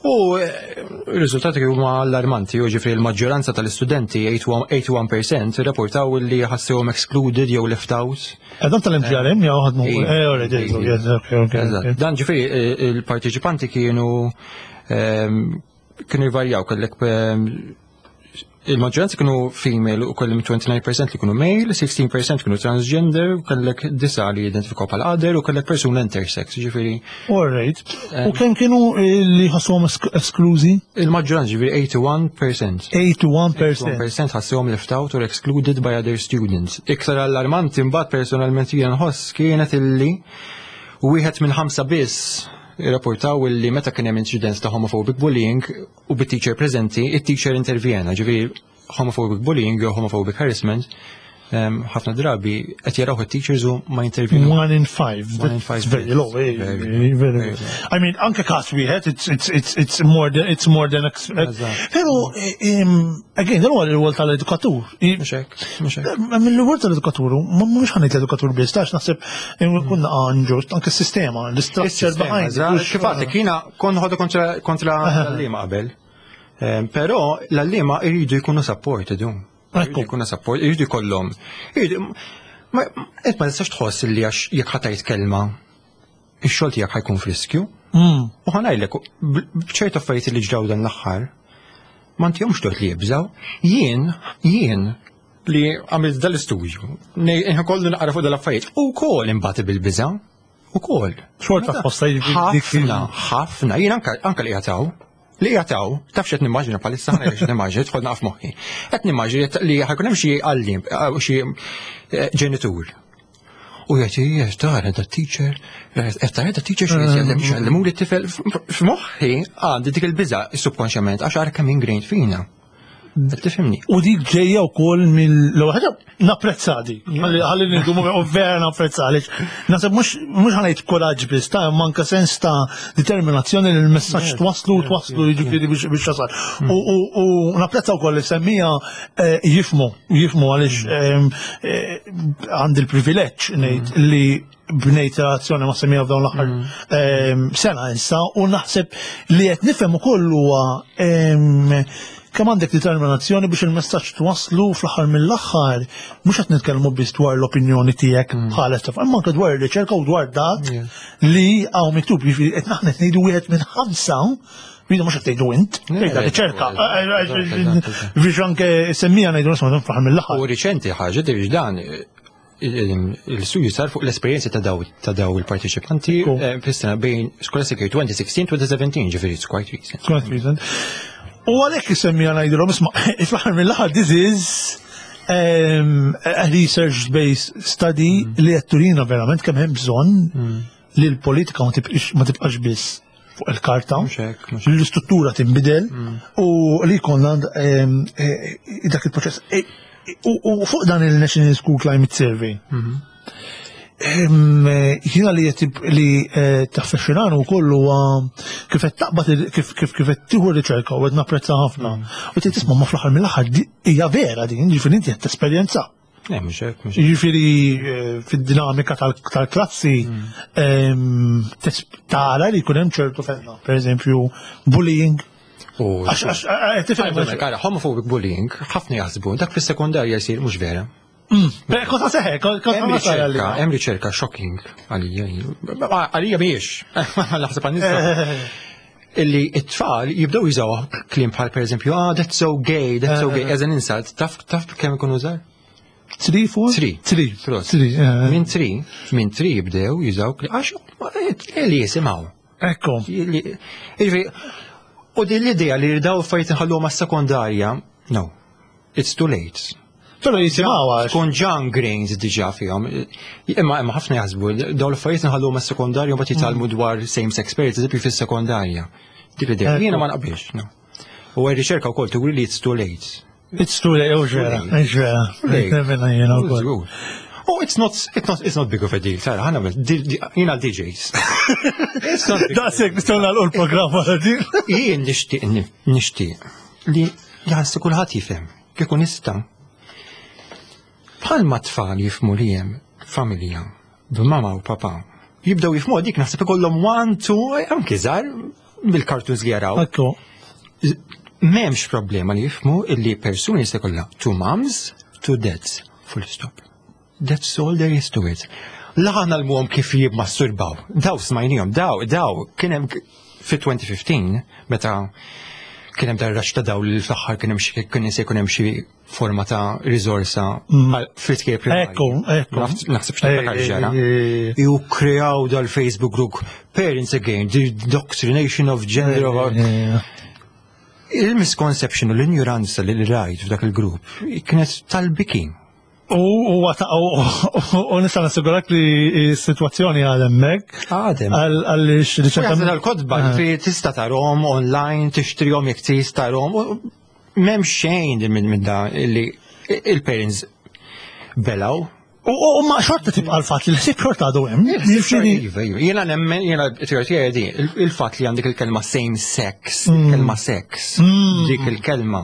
Speaker 2: U eh, il-riżultati huma allarmanti, u ġifieri l-maġġoranza tal-istudenti, erbgħa u erbgħin fil-mija, rapportaw li ħassewhom excluded jew left out.
Speaker 1: Dan tal-M G R M jew ħadmu?
Speaker 2: Iva.
Speaker 1: Eh, already,
Speaker 2: Iva.
Speaker 1: yes, okay, okay,
Speaker 2: Eżatt.
Speaker 1: okay.
Speaker 2: Dan ġifieri eh, il-partiċipanti kienu ehm, kienu jvarjaw, kellek ehm, il-maġġoranza kienu female u kellem disgħa u għoxrin fil-mija li kienu male, sittax fil-mija kienu transgender, u kellek disa li identifikaw bħala other u kellek persuna intersex, ġifieri
Speaker 1: All right. U kemm kienu eh, li ħassuhom esk- esklużi?
Speaker 2: Il-maġġoranza, ġifieri erbgħa u tmenin fil-mija.
Speaker 1: erbgħa u tmenin fil-mija.
Speaker 2: erbgħa u tmenin fil-mija ħassewhom left out or excluded by other students. Iktar allarmanti mbagħad personalment jien nħoss kienet illi wieħed minn ħamsa biss rapportaw illi meta kien hemm incidents ta' homophobic bullying u bit-teacher preżenti, it-teacher intervjena, ġifieri homophobic bullying jew homophobic harassment em, ħafna drabi qed jaraw it-teachers u ma jintervjenu.
Speaker 1: One in five.
Speaker 2: One in
Speaker 1: That's
Speaker 2: five
Speaker 1: very low. Eh,
Speaker 2: Very
Speaker 1: Very, very,
Speaker 2: very low.
Speaker 1: I mean, anke kas wieħed, it's it's it's it's more than it's more than ex-
Speaker 2: Eżatt.
Speaker 1: Pero eh, em, again, dan huwa l-rwol tal-edukatur. I-
Speaker 2: Mhux hekk, mhux hekk.
Speaker 1: Mill-rwol tal-edukatur, ma mhux ħa ngħid l-edukatur biss, tax naħseb kunna inġust, anke s-sistema, l-structure
Speaker 2: Is-sistema,
Speaker 1: behind.
Speaker 2: eżatt.
Speaker 1: Mhux-
Speaker 2: Kif għadlek, jiena kont ħodu kontra kontra l-għalliema qabel. Em, Però l-għalliema jridu jkunu supported. hu.
Speaker 1: Ekku.
Speaker 2: Jridu jkunu support, jridu jkollhom. Jridu ma int ma tistax tħoss li għax jekk ħa tgħid kelma ix-xogħol tiegħek ħa jkun f'riskju.
Speaker 1: Mm.
Speaker 2: U ħa ngħidlek, b'ċertu affarijiet li ġraw dan l-aħħar, ma ntihomx tort li jibżaw. Jien, jien li għamilt dal-istudju, kollu naqra fuq dal-affarijiet, u kol imbati bil-biża, u kol.
Speaker 1: Xorta tħossha jiġifieri dik il-
Speaker 2: Ħafna, ħafna, jien anka anka li jataw. Li jataw, taf x'qed nimmaġina bħalissa, ħa ngħidlek x'qed nimmaġina, tħodna naf moħħi. Qed nimmaġina li ħa jkun hemm xi għalliem, eh, xi eh, ġenitur. U jgħid, "Ija, tara da teacher, qed tara da teacher xi jgħallem x'għallemuli t-tifel." F'moħħi għandi dik il-biża subkonxjament għax ara kemm ingrained fina. Qed tifhimni?
Speaker 1: U dik ġejja wkoll mill l ħaġa napprezza dik. Ħalli ħalli nindumu u vera napprezza għaliex. Naħseb mhux mhux ħa ngħid kuraġġ biss ta' manka sens ta' determinazzjoni li l-messaġġ twaslu twaslu jiġifieri biex biex tasal. U u- u napprezza wkoll li semmija eh, jifmu, jifmu għaliex ehm, eh, għandi l-privileġġ ngħid li bnejt relazzjoni ma' semmija f'dawn l-aħħar ehm, sena issa u naħseb li qed nifhem ukoll huwa ehm, kemm għandek determinazzjoni biex il-messaġġ twaslu fl-aħħar mill-aħħar mhux qed nitkellmu biss dwar l-opinjoni tiegħek bħala taf, imma anke dwar ir-riċerka u dwar dak
Speaker 2: Yeah.
Speaker 1: li hawn miktub, jiġifieri qed naħna qed ngħidu wieħed minn ħamsa. Jiġifieri mhux qed tgħidu int, tgħidha riċerka. Biex anke semmija ngħidu nisma' fl-aħħar mill-aħħar.
Speaker 2: U riċenti ħaġa biex dan il-studju sar fuq l-esperjenza ta' daw ta' daw il-partiċipanti
Speaker 1: Cool.
Speaker 2: eh, fis-sena bejn Scholastic Year twenty sixteen-twenty seventeen, ġifieri it's quite recent.
Speaker 1: Quite recent. U għalhekk isemmija ngħidilhom, isma', fl-aħħar mill-aħħar this is um, a research-based study li qed turina verament kemm hemm bżonn li l-politika ma tibqix ma tibqax biss fuq il-karta,
Speaker 2: Mhux hekk, mhux
Speaker 1: li l-istruttura tinbidel u li jkollna um, eh, dak il-proċess. Eh, U u fuq dan il-National School Climate Survey, Em, eh, Jiena li qed li eh, taffexxinani wkoll huwa kif qed taqbad il- kif kif kif qed tieħu r-riċerka u qed napprezza ħafna. U tgħid, tisma', ma fl-aħħar mill-aħħar di- hija vera din, jiġifieri inti qed tesperjenza.
Speaker 2: Eh, mhux hekk, mhux hekk.
Speaker 1: Jiġifieri eh, fid-dinamika tal- tal-klassi em, tes- tara li jkun hemm ċertu fenna, per eżempju bullying.
Speaker 2: U
Speaker 1: Għax għax eh, tifhem
Speaker 2: Għajdulek, ara, homophobic bullying, ħafna jaħsbu, dak fis-sekondarja jsir, mhux vera.
Speaker 1: Beh, Cosa seħe, cosa
Speaker 2: Hemm
Speaker 1: ma sara li.
Speaker 2: riċerka, hemm riċerka shocking għalija. Għalija mhijiex. Naħseb għan-nisa. Illi it-tfal jibdew jużaw kliem bħal per eżempju, "Ah, that's so gay, that's so gay," as an insult, taf taf kemm ikunu żgħar?
Speaker 1: Three, four?
Speaker 2: Three.
Speaker 1: Three.
Speaker 2: Prost.
Speaker 1: Three. eh.
Speaker 2: Minn three, minn three jibdew jużaw kliem, għax li jisimgħu.
Speaker 1: Ekku.
Speaker 2: Li- Jiġifieri, u din l-idea li daw affarijiet inħalluhom għas-sekondarja, no, it's too late.
Speaker 1: Però jisimgħu għax.
Speaker 2: Tkun ġa ingrained diġà fihom. Imma imma ħafna jaħsbu daw l-affarijiet nħalluhom għas-sekondarja u mbagħad jitgħallmu dwar same-sex parents, eżempju, fis-sekondarja. Dik l-idea.
Speaker 1: Ekku.
Speaker 2: Jiena ma naqbilx, no. U r-riċerka wkoll turi li it's too late.
Speaker 1: It's too late, oh vera, vera.
Speaker 2: Late.
Speaker 1: Nemmen jiena wkoll.
Speaker 2: Żgur. Oh, it's not, it's not, it's not big of a deal. Tara, ħana jiena D Js. It's not big.
Speaker 1: Daqshekk nistgħu nagħlqu l-programm wara din.
Speaker 2: Jien nixtieq nixtieq li jħassi kulħadd jifhem kieku nista'. Bħalma tfal jifhmu li hemm familja b'mama u papa. Jibdew jifhmu dik, naħseb ikollhom one, two, anki żgħar, Bil-cartoons li jaraw.
Speaker 1: Ekku.
Speaker 2: M'hemmx problema li jifhmu illi persuni se kollha two moms, two dads. Full stop. That's all there is to it. La ngħallmuhom kif jibmasturbaw. Daw smajnihom, daw, daw, kien hemm fi elfejn u ħmistax, meta kien hemm dar ta' daw li fl-aħħar kien hemm xi kien se jkun hemm xi forma ta' riżorsa fl-iskejjel primarji.
Speaker 1: Ekku, ekku.
Speaker 2: Naħseb x'niftakar ġara.
Speaker 1: Eh,
Speaker 2: Ju kreaw dal-Facebook group Parents Against the Indoctrination of Gender of
Speaker 1: eh,
Speaker 2: Il-misconception u l-ignoranza li rajt f'dak il-grupp kienet tal-biki.
Speaker 1: U u u u nista' nassigurak li s-sitwazzjoni għal hemmhekk
Speaker 2: Għadem.
Speaker 1: għaliex
Speaker 2: Riċerka tal-kotba, fi tista' tarahom online, tixtrihom jekk tista' tarahom. u M'hemm xejn minn minn da li il-parents belaw.
Speaker 1: U u ma xorta tibqa' l-fatt li l-ħsieb xorta għadu hemm. Jiġifieri
Speaker 2: Iva, iva. Jiena nemmen, jiena teorija di, il-fatt li għandek il-kelma same sex, il-kelma sex, dik il-kelma.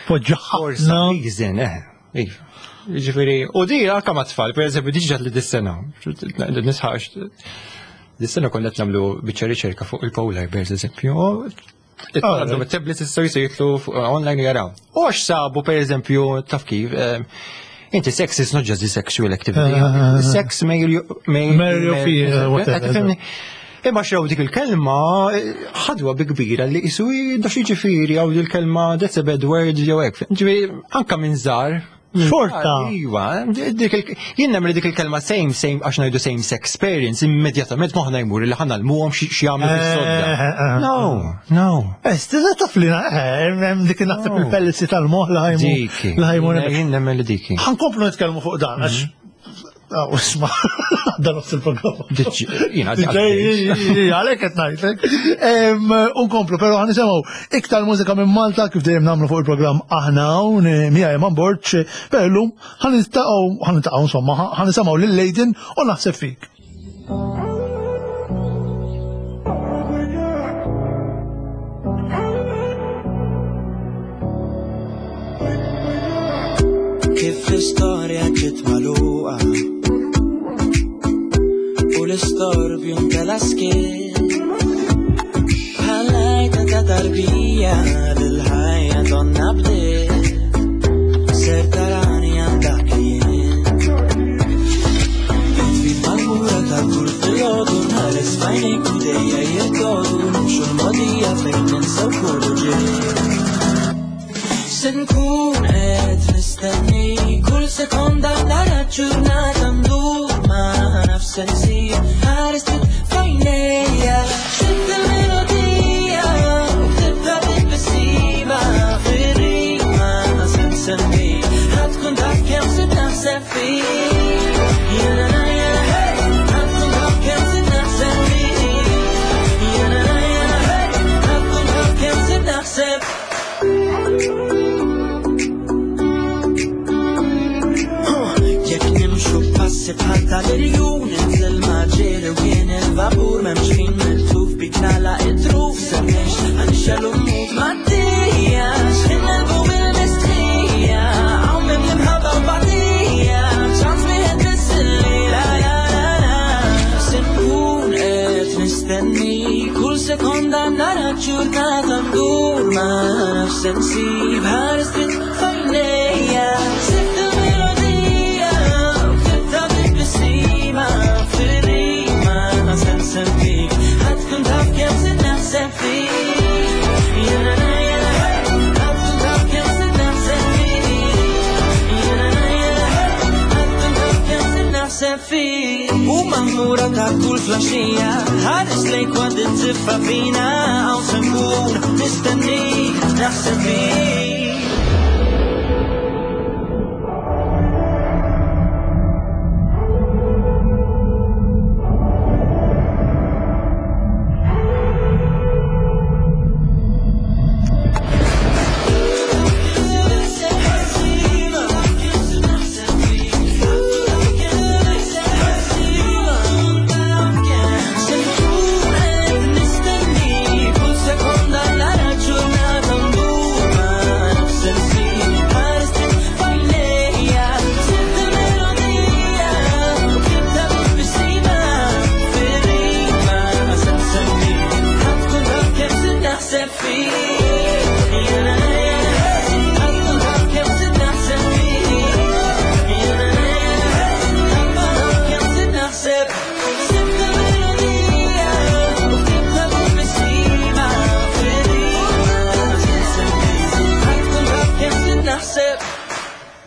Speaker 1: Poġġa
Speaker 2: For
Speaker 1: ħafna.
Speaker 2: some reason, eh, iva. Ġifieri, u di anka ma tfal, per eżempju, diġà li dis-sena, nisħax, dis-sena konna qed nagħmlu biċċa riċerka fuq il-polar bears, eżempju. Għandhom it-tablets issa jistgħu jidħlu fuq- online u jaraw. U għax sabu, per eżempju, taf kif, eh, inti sex is not just the sexual activity.
Speaker 1: Eh,
Speaker 2: Sex male, male,
Speaker 1: Male or female, whatever.
Speaker 2: Qed tifhimni? Imma xew dik il-kelma eh, ħadwa bi kbira li jisu dax jiġifieri għaw il-kelma that's a bad word jew hekk. Ġifieri anka minn żgħar. Minn
Speaker 1: Xorta.
Speaker 2: żgħar, Iva, dik il- jien nemmen li dik il-kelma same same għax ngħidu same sex parents immedjatament moħħna jmur li ħa ngħallmuhom xi jagħmlu fis-sodda.
Speaker 1: Eh, eh, eh.
Speaker 2: No, no.
Speaker 1: Eh, stilla taf li eh, hemm dik naħseb
Speaker 2: No.
Speaker 1: il-pellizzi tal-moħ li ħajmu.
Speaker 2: Diki.
Speaker 1: Li ħajmu
Speaker 2: Jien nemmen li diki.
Speaker 1: Ħa nkomplu nitkellmu fuq dan, għax Ah, isma, dan nofs il-programm.
Speaker 2: Jiena
Speaker 1: Għalek qed ngħidlek. Unkomplu, però ħa nisimgħu iktar mużika minn Malta kif dejjem nagħmlu fuq il-programm aħna hawn miegħi Eman Borg, però llum ħa niltaqgħu ħa niltaqgħu insomma, ħa nisimgħu lil Lejden u naħseb fik.
Speaker 3: Kif l-istorja ġiet magħluqa u l-istorbju ntela skiet Bħal-għajta ta' tarbija l-ħajja donna bdiet Ser tarani għandak li jien Jitfit mal-mura ta' kull filgħodu nħares f'għajnejk u dejja jirtodu nimxu l-mogħdija fejn ninsew kull ġid Se nkun qed nistenni kull sekonda nara ġurnata ndur ma nafx se nsir ħares f'għajnejja Sibt il-melodija u ktibtha bit-tbissima fir-rima se nsemmi ħa tkun taf kemm se taħseb fik Jena na jena hey ħa tkun taf kemm se taħseb fik Jena na jena hey ħa tkun taf kemm se taħseb. Jekk nimxu passi bħal tal-irjun Inżel maġġeri u jien il-vapur M'hemmx ħin mitluf bik nagħlaq it-truf Semmiex ħanixxelu mmut maddija X'ħin nelbu bil-mistħija Hawn minn l-imħabba u batija ċans wieħed biss la la la la Se nkun qed nistenni kull sekonda nara ġurnata ndur ma nafx se nsib ħares dritt f'għajnejja Sibt il-melodija u ktibtha bit-tbissima fir-rima se nsemmik ħa tkun taf kemm se naħseb fik Jena na jena hey ħa tkun taf kemm se naħseb fik Jena na jena hey ħa tkun taf kemm se naħseb fik U maħmura ta' kull filgħaxija ħares lejk waqt it-tiffa fina Hawn se nkun nistennik naħseb fik.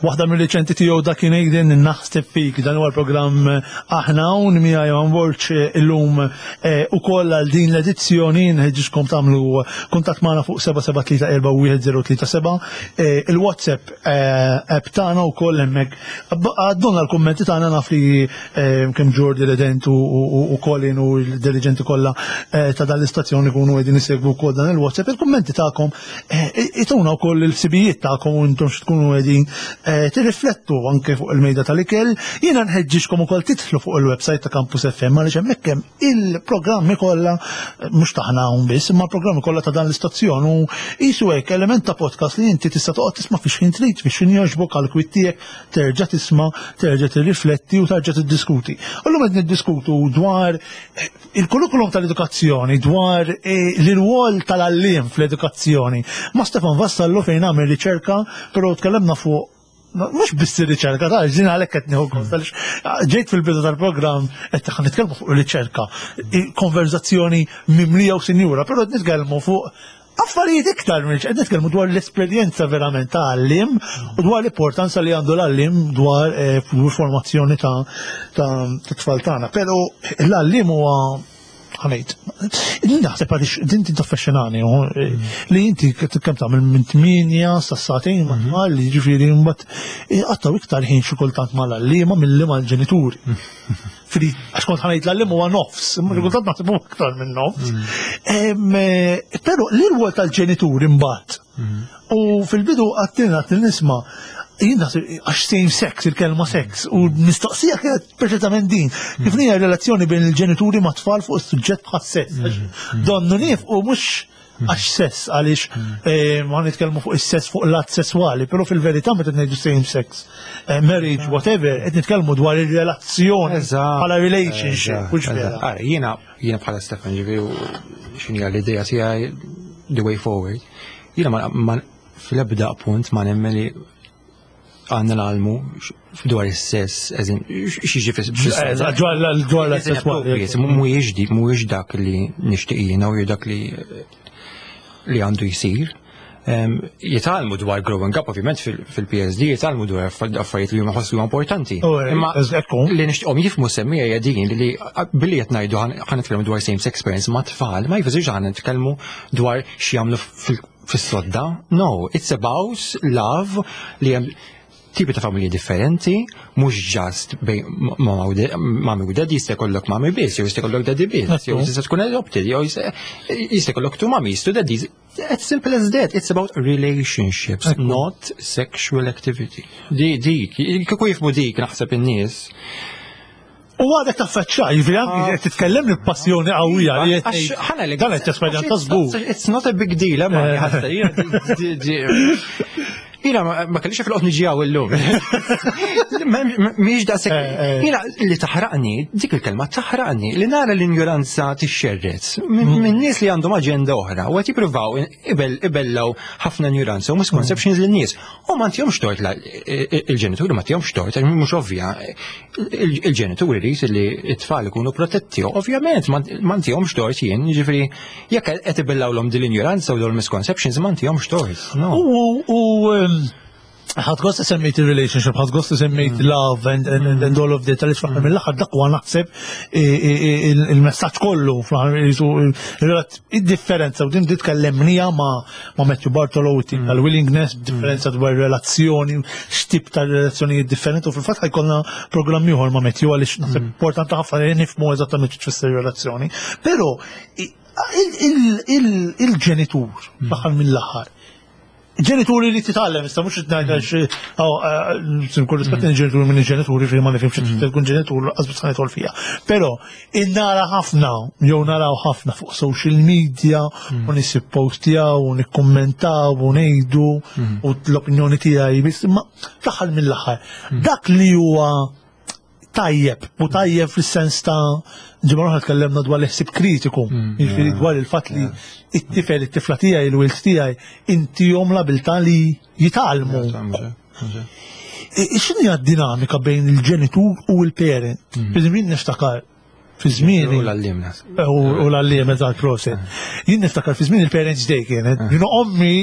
Speaker 1: Waħda mill-riċenti tiegħu dak kien Aiden, "Naħseb Fik". Dan huwa l-programm Aħna Hawn, miegħi Johan Borg illum ukoll għal din l-edizzjoni. Nħeġġiġkom tagħmlu kuntatt magħna fuq seba' seba' tlieta erba' wieħed żero tlieta seba', il-WhatsApp app tagħna wkoll, hemmhekk għaddulna l-kummenti tagħna. Naf li kemm Jordi Redent u Colin u l-dirigenti kollha ta' dan l-istazzjoni ikunu qegħdin isegwu wkoll dan il-WhatsApp. Il-kummenti tagħkom ituna wkoll il-ħsibijiet tagħkom u intom x'tkunu qegħdin tirriflettu anke fuq il-mejda tal-ikel. Jiena nħeġġiġkom ukoll tidħlu fuq il-website ta' Campus F M għaliex hemmhekk hemm il-programmi kollha, mhux taħna hawn biss, imma l-programmi kollha ta' dan l-istazzjon u qisu hekk element ta' podcast li inti tista' toqgħod tisma' fix ħin trid, fix ħin jogħġbok, għal kwiet tiegħek, terġa' tisma', terġa' tirrifletti u terġa' tiddiskuti. U llum qed niddiskutu dwar il-kurrikulum tal-edukazzjoni, dwar l-irwol tal-għalliem fl-edukazzjoni. Ma' Stefan Vassallo, fejn għamel riċerka, però tkellemna fuq mhux biss ir-riċerka, ta' ġina għalhekk qed nieħu gost, għaliex ġejt fil-bidu tal-programm qed ħa nitkellmu fuq ir-riċerka, konverzazzjoni mimlija u sinjura, però qed nitkellmu fuq affarijiet iktar minn qed nitkellmu dwar l-esperjenza verament ta' għalliem u dwar l-importanza li għandu l-għalliem dwar formazzjoni ta' tfal tagħna. Però l-għalliem huwa ħa ngħid, naħseb għaliex din tintaffexxinani li inti kemm tagħmel minn tmienja sa sagħtejn ma' tfal, li ġifieri mbagħad qattaw iktar ħin xi kultant mal-għalliema milli mal-ġenituri. Fri, għax kont ħa ngħid l-għalliem huwa nofs, imma xi kultant naħseb huwa iktar minn nofs. Però l-irwol tal-ġenituri mbagħad. U fil-bidu għattina għattin nisma' jien naħseb għax same sex, il-kelma sex, u mistoqsija kienet preċetament din. Kif hija relazzjoni bejn il-ġenituri ma' tfal fuq is-suġġett bħas sess? Donnu nif u mhux għax sess, għaliex eh, ma nitkellmu fuq is-sess fuq l-att sesswali, però fil-verità meta ngħidu same sex, eh, marriage, whatever, qed nitkellmu dwar ir-relazzjoni
Speaker 2: Eżatt.
Speaker 1: bħala relationship,
Speaker 2: Eżatt,
Speaker 1: mhux
Speaker 2: eżatt.
Speaker 1: vera?
Speaker 2: Ara, jiena jiena bħala Stefan, ġifieri, x'inhi l-idea tiegħi, the way forward. Jiena ma, ma fl-ebda punt ma nemmen li għandna ngħallmu x- dwar is-sess, eżin, x'jiġi fis
Speaker 1: Eżatt, dwar l- dwar l-att sesswali.
Speaker 2: Mhuwiex di, mhuwiex dak li nixtieq jiena u dak li li għandu jsir. Em, Jitgħallmu dwar growing up, ovvjament fil- fil-P S D, jitgħallmu dwar affarijiet li huma ħossu importanti.
Speaker 1: Oh, eh,
Speaker 2: Imma
Speaker 1: ekku.
Speaker 2: li nixtieqhom jifhmu semmija hija din li billi qed ngħidu ħa nitkellmu dwar same sex parents ma' tfal, ma jfissirx ħa nitkellmu dwar x'jagħmlu fil- fis-sodda. No, it's about love, li hemm tipi ta' familji differenti, mhux just bejn mama u de- mami u daddy, jista' jkollok mami biss, jew jista' jkollok daddy biss, jew jista' tkun adopted, jew jista' jista' jkollok two mummies, two daddies. It's simple as that. It's about relationships, not sexual activity. Di, dik, kieku jifhmu dik, naħseb in-nies.
Speaker 1: U għadek taffeċċa, jiġifieri anki qed titkellem b'passjoni qawwija li qed
Speaker 2: Għax
Speaker 1: tgħid,
Speaker 2: ħana li-
Speaker 1: dan qed tesperjenza żgur.
Speaker 2: It's not a big deal, ma
Speaker 1: Eh.
Speaker 2: ħatta, jiena di- di- Jiena ma ma kellix fil-qot niġi hawn illum. Mhix daqshekk.
Speaker 1: Eh, eh.
Speaker 2: Jiena li taħraqni, dik il-kelma taħraqni, li nara l-injoranza tixxerret minn minn nies li għandhom aġenda oħra u qed jippruvaw ibel ibellaw ħafna injoranza u misconceptions lin-nies. U ma ntihomx tort la- il-ġenituri, ma ntihomx tort, għax mhux ovvja. Il- Il-ġenituri jrid li t-tfal ikunu protetti, ovvjament ma ma ntihomx tort jien, jiġifieri jekk qed ibellawlhom din l-injoranza u dawn il-misconceptions, ma ntihomx tort. No.
Speaker 1: U u um, ħadt gost semmejt il-relationship, ħadt gost semmejt love and, and, and, and all of that, għaliex fl-aħħar mill-aħħar dak huwa naħseb i- i- i- il-messaġġ kollu fl-aħħar jisu il-differenza, u din tkellimnieha ma' ma' Matthew Bartolo tal-willingness, differenza dwar relazzjoni, x'tip ta' relazzjonijiet differenti, u fil-fatt ħa jkollna programm ieħor ma' Matthew għaliex naħseb importanti ħafna li nifhmu eżattament x'tfisser relazzjoni. Però i- il- il- il- il-ġenitur fl-aħħar mill-aħħar, ġenituri li titgħallem, issa mhux ngħid għax kull rispett il-ġenituri minn il-ġenituri fi ma nifhimx tkun ġenitur qasbis ħa nidħol fiha. Però innara ħafna jew naraw ħafna fuq social media u nies jippostjaw u nikkummentaw u ngħidu u l-opinjoni tiegħi biss, imma fl-aħħar mill-aħħar dak li huwa tajjeb u tajjeb fis-sens ta' ġimgħa oħra tkellemna dwar l-ħsieb kritiku, jiġifieri dwar il-fatt li it-tifel, it-tifla tiegħi, il-wild tiegħi intihom l-abilità li jitgħallmu. X'inhi d-dinamika bejn il-ġenitur u l-parent? Per niftakar Fi żmieni.
Speaker 2: U l-għalliema.
Speaker 1: U l-għalliem, eżatt, prosit. Jien niftakar fi żmien il-Parents Day kienet. Jien ommi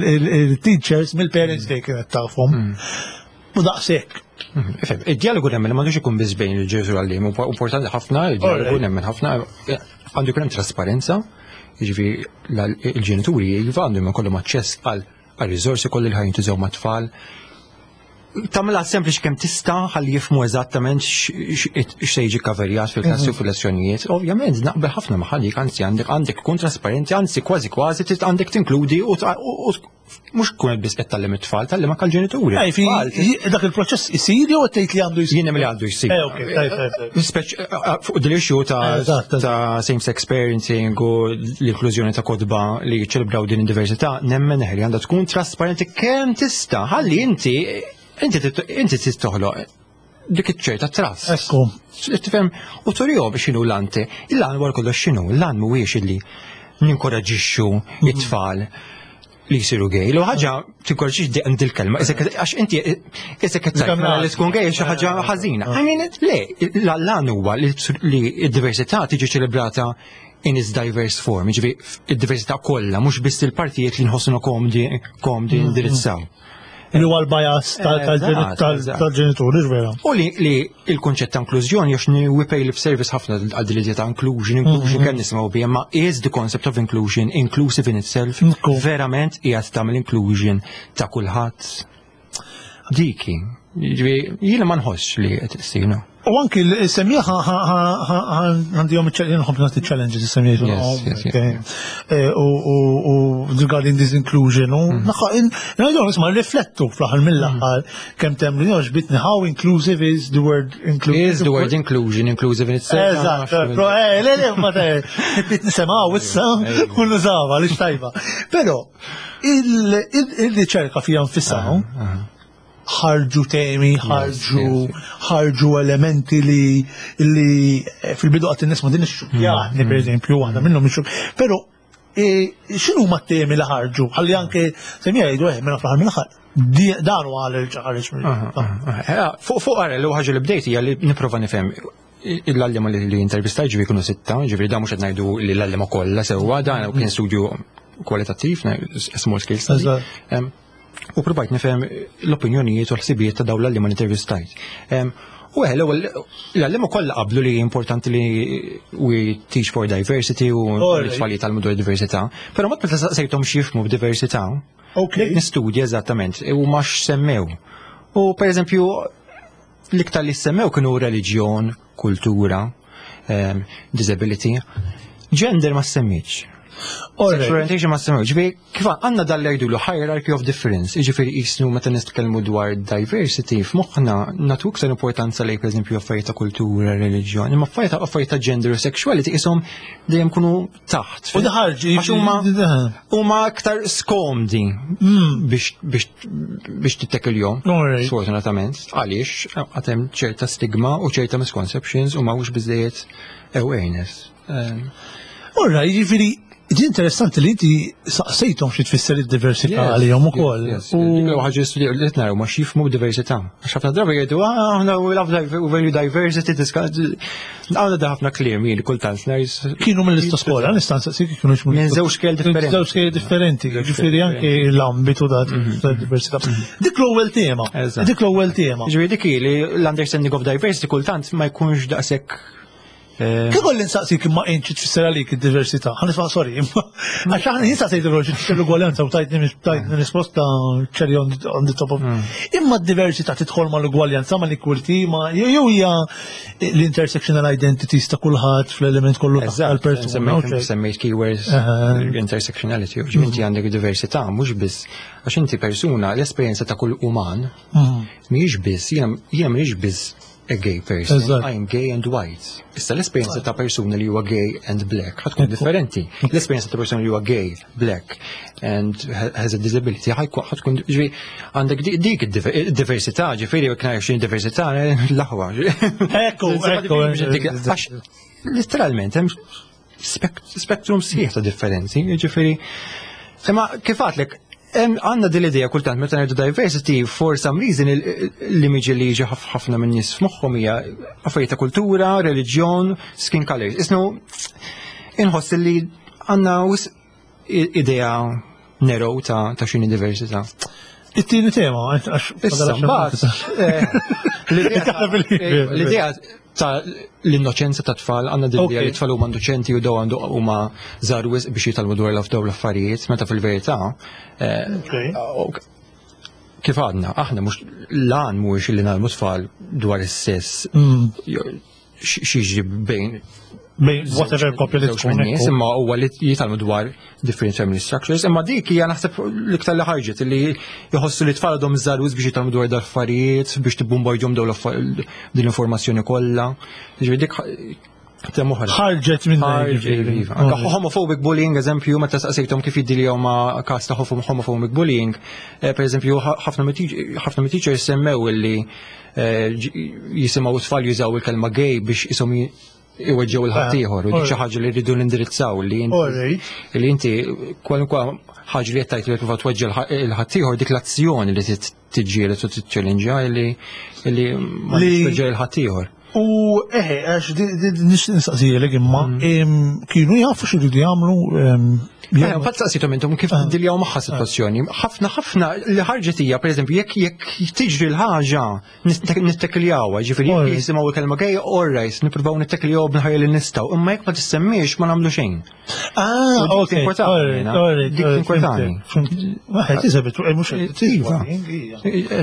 Speaker 1: il-teachers mill-Parents Day kienet tafhom. U daqshekk.
Speaker 2: Ifhem, id-dialogu nemmen m'għandux ikun biss bejn il-ġenitur għalliem, importanti ħafna, il-dialogu nemmen ħafna, għandu jkun hemm trasparenza, jiġifieri il-ġenituri iva għandhom ikollhom aċċess għal għal riżorsi kolli li ħa jintużaw mat-tfal. Tagħmilha sempliċi kemm tista' ħalli jifhmu eżattament x'se jiġi kaverjat fil-klassi u fil-lezzjonijiet. Ovvjament naqbel ħafna ma' ħallik, anzi għandek għandek kun trasparenti, anzi kważi kważi għandek tinkludi u mhux tkun biss qed tgħallem it-tfal, tgħallem anke l-ġenituri.
Speaker 1: Dak il-proċess isir jew tgħid li għandu jsir?
Speaker 2: Jien li għandu jsir. Eh, fuq dil-issue ta' same-sex parenting u l-inklużjoni ta' kotba li ċelebraw din id-diversità, nemmen li għandha tkun trasparenti kemm tista' ħalli inti inti inti toħloq dik iċ-ċerta trust.
Speaker 1: Ekku.
Speaker 2: Tifhem, u turihom x'inhu l-ante. Il-għan wara kollox x'inhu? L-għan mhuwiex illi ninkoraġixxu it-tfal li jisiru gay. L ħaġa tinkoraġixx dil-kelma, għax inti isek qed li tkun gay xi ħaġa ħażina. I mean, le, l-għan huwa li d-diversità tiġi ċelebrata in its diverse form, jiġifieri id-diversità kollha, mhux biss il-partijiet li nħossuna komdi komdi indirizzaw.
Speaker 1: Li huwa l-bias tal-ġenituri, vera.
Speaker 2: U li il-konċett ta' inklużjoni, għax we pay lip service ħafna għal din ta' inclusion, inclusion kemm nisimgħu biha, ma is the concept of inclusion inclusive in itself? Verament qiegħed tagħmel inclusion ta' kulħadd? Diki, jiena ma nħossx li qed issir.
Speaker 1: U anki l-semmiegħa għandihom nħobb nagħti challenges is-semmiegħa. U regarding this inclusion u ngħidu nisma' riflettu fl-aħħar mill-aħħar kemm temlu ġbitni how inclusive is the word inclusive.
Speaker 2: Is the word inclusion inclusive in itself?
Speaker 1: Eżatt, le le ma bit nisimgħu issa u nużawha għaliex tajba. Però il-riċerka fija nfisha ħarġu temi, ħarġu ħarġu elementi li li fil-bidu għat nisma din ix-xukjatni, per eżempju, waħda minnhom ix. Però x'inhu ma temi li ħarġu? Ħalli anke semmi jgħidu eh mela fl-aħħar mill-aħħar dan huwa għal ħareġ.
Speaker 2: Fuq fuq għara l ħaġa li bdejt hija li nipprova nifhem l-għalliema li intervistaj, ġifieri kienu sitta, ġifieri da mhux qed ngħidu li l-għalliema kollha sewwa, dan kien studju kwalitattiv, small scale study. U provajt nifhem l-opinjonijiet u l-ħsibijiet ta' dawn l-għalliema intervistajt. U għe, l-ewwel l-għalliema kollha qablu li importanti li we teach for diversity u l-tfal jitgħallmu dwar diversità, però mat meta saqsejthom x'jifhmu b'diversità, nistudja eżattament u ma x'semmew. U per eżempju, l-iktar li semmew kienu reliġjon, kultura, disability, gender ma semmitx. Sexual orientation ma semmew. Ġifieri, kif għandna dal jgħidu hierarchy of difference, ġifieri jisnu meta nitkellmu dwar diversity, f'moħħna nagħtu iktar importanza lejn pereżempju affarijiet ta' kultura, reliġjon, imma affarijiet ta' affarijiet ta' gender u sexuality ishom dejjem kunu taħt.
Speaker 1: U daħarġi.
Speaker 2: Għax huma huma aktar skomdi biex biex biex tittekilhom. Sfortunatament, għaliex għad hemm ċerta stigma u ċerta misconceptions u m'hawnx biżejjed awareness.
Speaker 1: Ora, jiġifieri Di interessanti li inti saqsejthom xi tfisser id-diversità għalihom ukoll.
Speaker 2: Dik ħaġa li qed naraw ma x'jifhmu diversità. Għax ħafna drabi jgħidu, "Ah, aħna we love value diversity", għandna da ħafna kliem jien kultant ngħid.
Speaker 1: Kienu mill-istess skola, nista' nsaqsik kienu
Speaker 2: minn żewġ skejjel differenti.
Speaker 1: Żewġ skejjel differenti, ġifieri anke l-ambitu da diversità. Dik l-ewwel tema. Dik l-ewwel tema.
Speaker 2: Ġifieri dik li l-understanding of diversity kultant ma jkunx daqshekk.
Speaker 1: Kif kolli nsaqsik imma inti tfisser għalik id-diversità? Ħa nisma', sorry, imma għax aħna jien saqsejt il tfisser l-ugwaljanza u tajtni tajtni risposta cherry on the top of. Imma d-diversità tidħol ma l-ugwaljanza, ma l-equality, ma jew hija l-intersectional identities ta' kulħadd fl-element kollu
Speaker 2: tal-persuna. Semmejt keywords intersectionality, inti għandek diversità mhux biss għax inti persuna, l-esperjenza ta' kull uman mhijiex biss, jiena mhijiex biss a gay person, I'm gay and white. Issa l-esperjenza ta' persuna li huwa gay and black ħa tkun differenti. L-esperjenza ta' persuna li huwa gay, black and has a disability ħa tkun, ġifieri għandek dik id-diversità, ġifieri jekk ngħid xi diversità l-aħwa.
Speaker 1: Ekku, ekku.
Speaker 2: Għax literalment hemm spektrum sħiħ ta' differenzi, ġifieri. Imma kif għadlek, Għandna din l-idea kultant meta ngħidu diversity, for some reason l-image li jiġi ħafna minn nies f'moħħhom hija affarijiet ta' kultura, reliġjon, skin colors. Isnu inħoss li għandna idea narrow ta' ta' x'inhi diversità.
Speaker 1: It-tieni tema, għax
Speaker 2: Issa, mbagħad, eh, l-idea ta' l-innoċenza ta' tfal, għandna din li tfal huma innoċenti u daw għandu huma żgħar wisq biex jitgħallmu dwar dawn l-affarijiet, meta fil-verità eh, kif għadna, aħna mhux lan mhuwiex li ngħallmu tfal dwar is-sess mm. x'jiġri bejn
Speaker 1: bejn whatever koppja li
Speaker 2: tkun nies, imma huwa li jitgħallmu dwar different family structures, imma dik hija naħseb l-iktar li ħarġet li jħossu li tfal għadhom żgħar biex jitgħallmu dwar dal-affarijiet, biex tibbombardjahom dawn din l-informazzjoni kollha. Ġifieri dik tema oħra.
Speaker 1: Ħarġet minn
Speaker 2: Iva. Anka homophobic bullying, eżempju, meta saqsejthom kif jiddiljaw ma' każ ta' homophobic bullying, eh, per eżempju, ħafna mit-teachers semmew illi eh, jisimgħu tfal jużaw il-kelma gay biex isom iweġġew il-ħaddieħor u dik xi ħaġa li rridu nindirizzaw li li inti kwalunkwe ħaġa li qed tgħid li tipprova tweġġe il-ħaddieħor, dik l-azzjoni li tiġġieled u tiċċellinġja li li ma tweġġe il-ħaddieħor.
Speaker 1: U eħe, għax nistaqsijek imma, mm. kienu jafu x'iridu jagħmlu.
Speaker 2: Fatt saqsitom intom kif ah. diljaw magħha situazzjoni. Ħafna ħafna li ħarġet hija, pereżempju, jekk jekk tiġri l-ħaġa nittekljawha, ġifieri jekk jisimgħu il-kelma gay, all right, nippruvaw nittekiljaw b'ħajja li nistgħu, imma jekk ma tissemmiex ma nagħmlu xejn.
Speaker 1: Ah, ok.
Speaker 2: Dik inkwetani.
Speaker 1: Waħed iżabet, mhux
Speaker 2: Iva.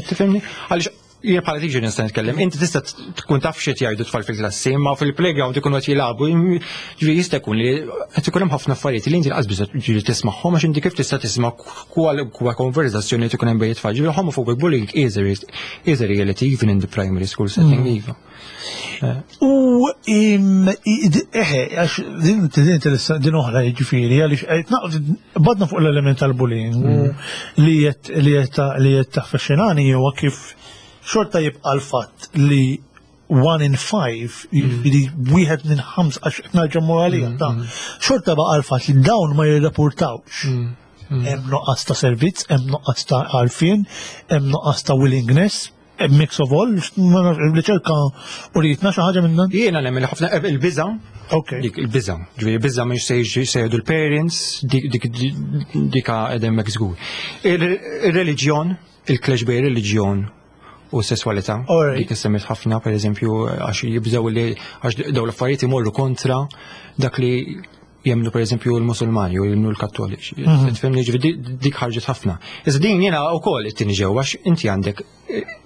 Speaker 2: Tifhimni? Għaliex jien bħala teacher nista' nitkellem, inti tista' tkun taf xi jgħidu tfal fil-klassi, imma fil-playground ikunu qed jilagħbu, ġifieri jista' jkun li qed ikun hemm ħafna affarijiet li inti lanqas biss ġifieri tismagħhom, għax inti kif tista' tisma' kwa konverzazzjoni li tkun hemm bejn it-tfal. Ġifieri homophobic bullying is a is a reality even in the primary school setting, mm. iva.
Speaker 1: U eħe, għax din din oħra ġifieri, għaliex badna fuq l-element tal-bullying mm. li qed li qed li qed taffexxinani huwa kif xorta jibqa' l-fatt li one in five, jiġifieri wieħed minn ħams, għax nerġa' mmur għalija, ta' xorta baqa' l-fatt li dawn ma jirrapportawx. Hemm nuqqas ta' servizz, hemm nuqqas ta' għarfien, hemm nuqqas ta' willingness, hemm mix of all, riċerka u rritna xi ħaġa minn dan?
Speaker 2: Jiena nemmen ħafna il-biża'.
Speaker 1: Ok.
Speaker 2: Dik il-biża', ġifieri biża' mhux se jiġi se jgħidu l-parents, dik dik dika qegħdem hekk żgur. Ir-reliġjon, il-clash bejn reliġjon u sessualità.
Speaker 1: Alright.
Speaker 2: Dik issemmiet ħafna, per eżempju, għax jibżgħu li għax dawn l-affarijiet imorru kontra dak li jemnu, per eżempju, l-Musulmani u jemnu l-Kattoliċi.
Speaker 1: Mhm.
Speaker 2: Tifhimni, ġifieri di- dik ħarġet ħafna. Iżda din jiena wkoll it-tieni ġewwa, għax inti għandek eh,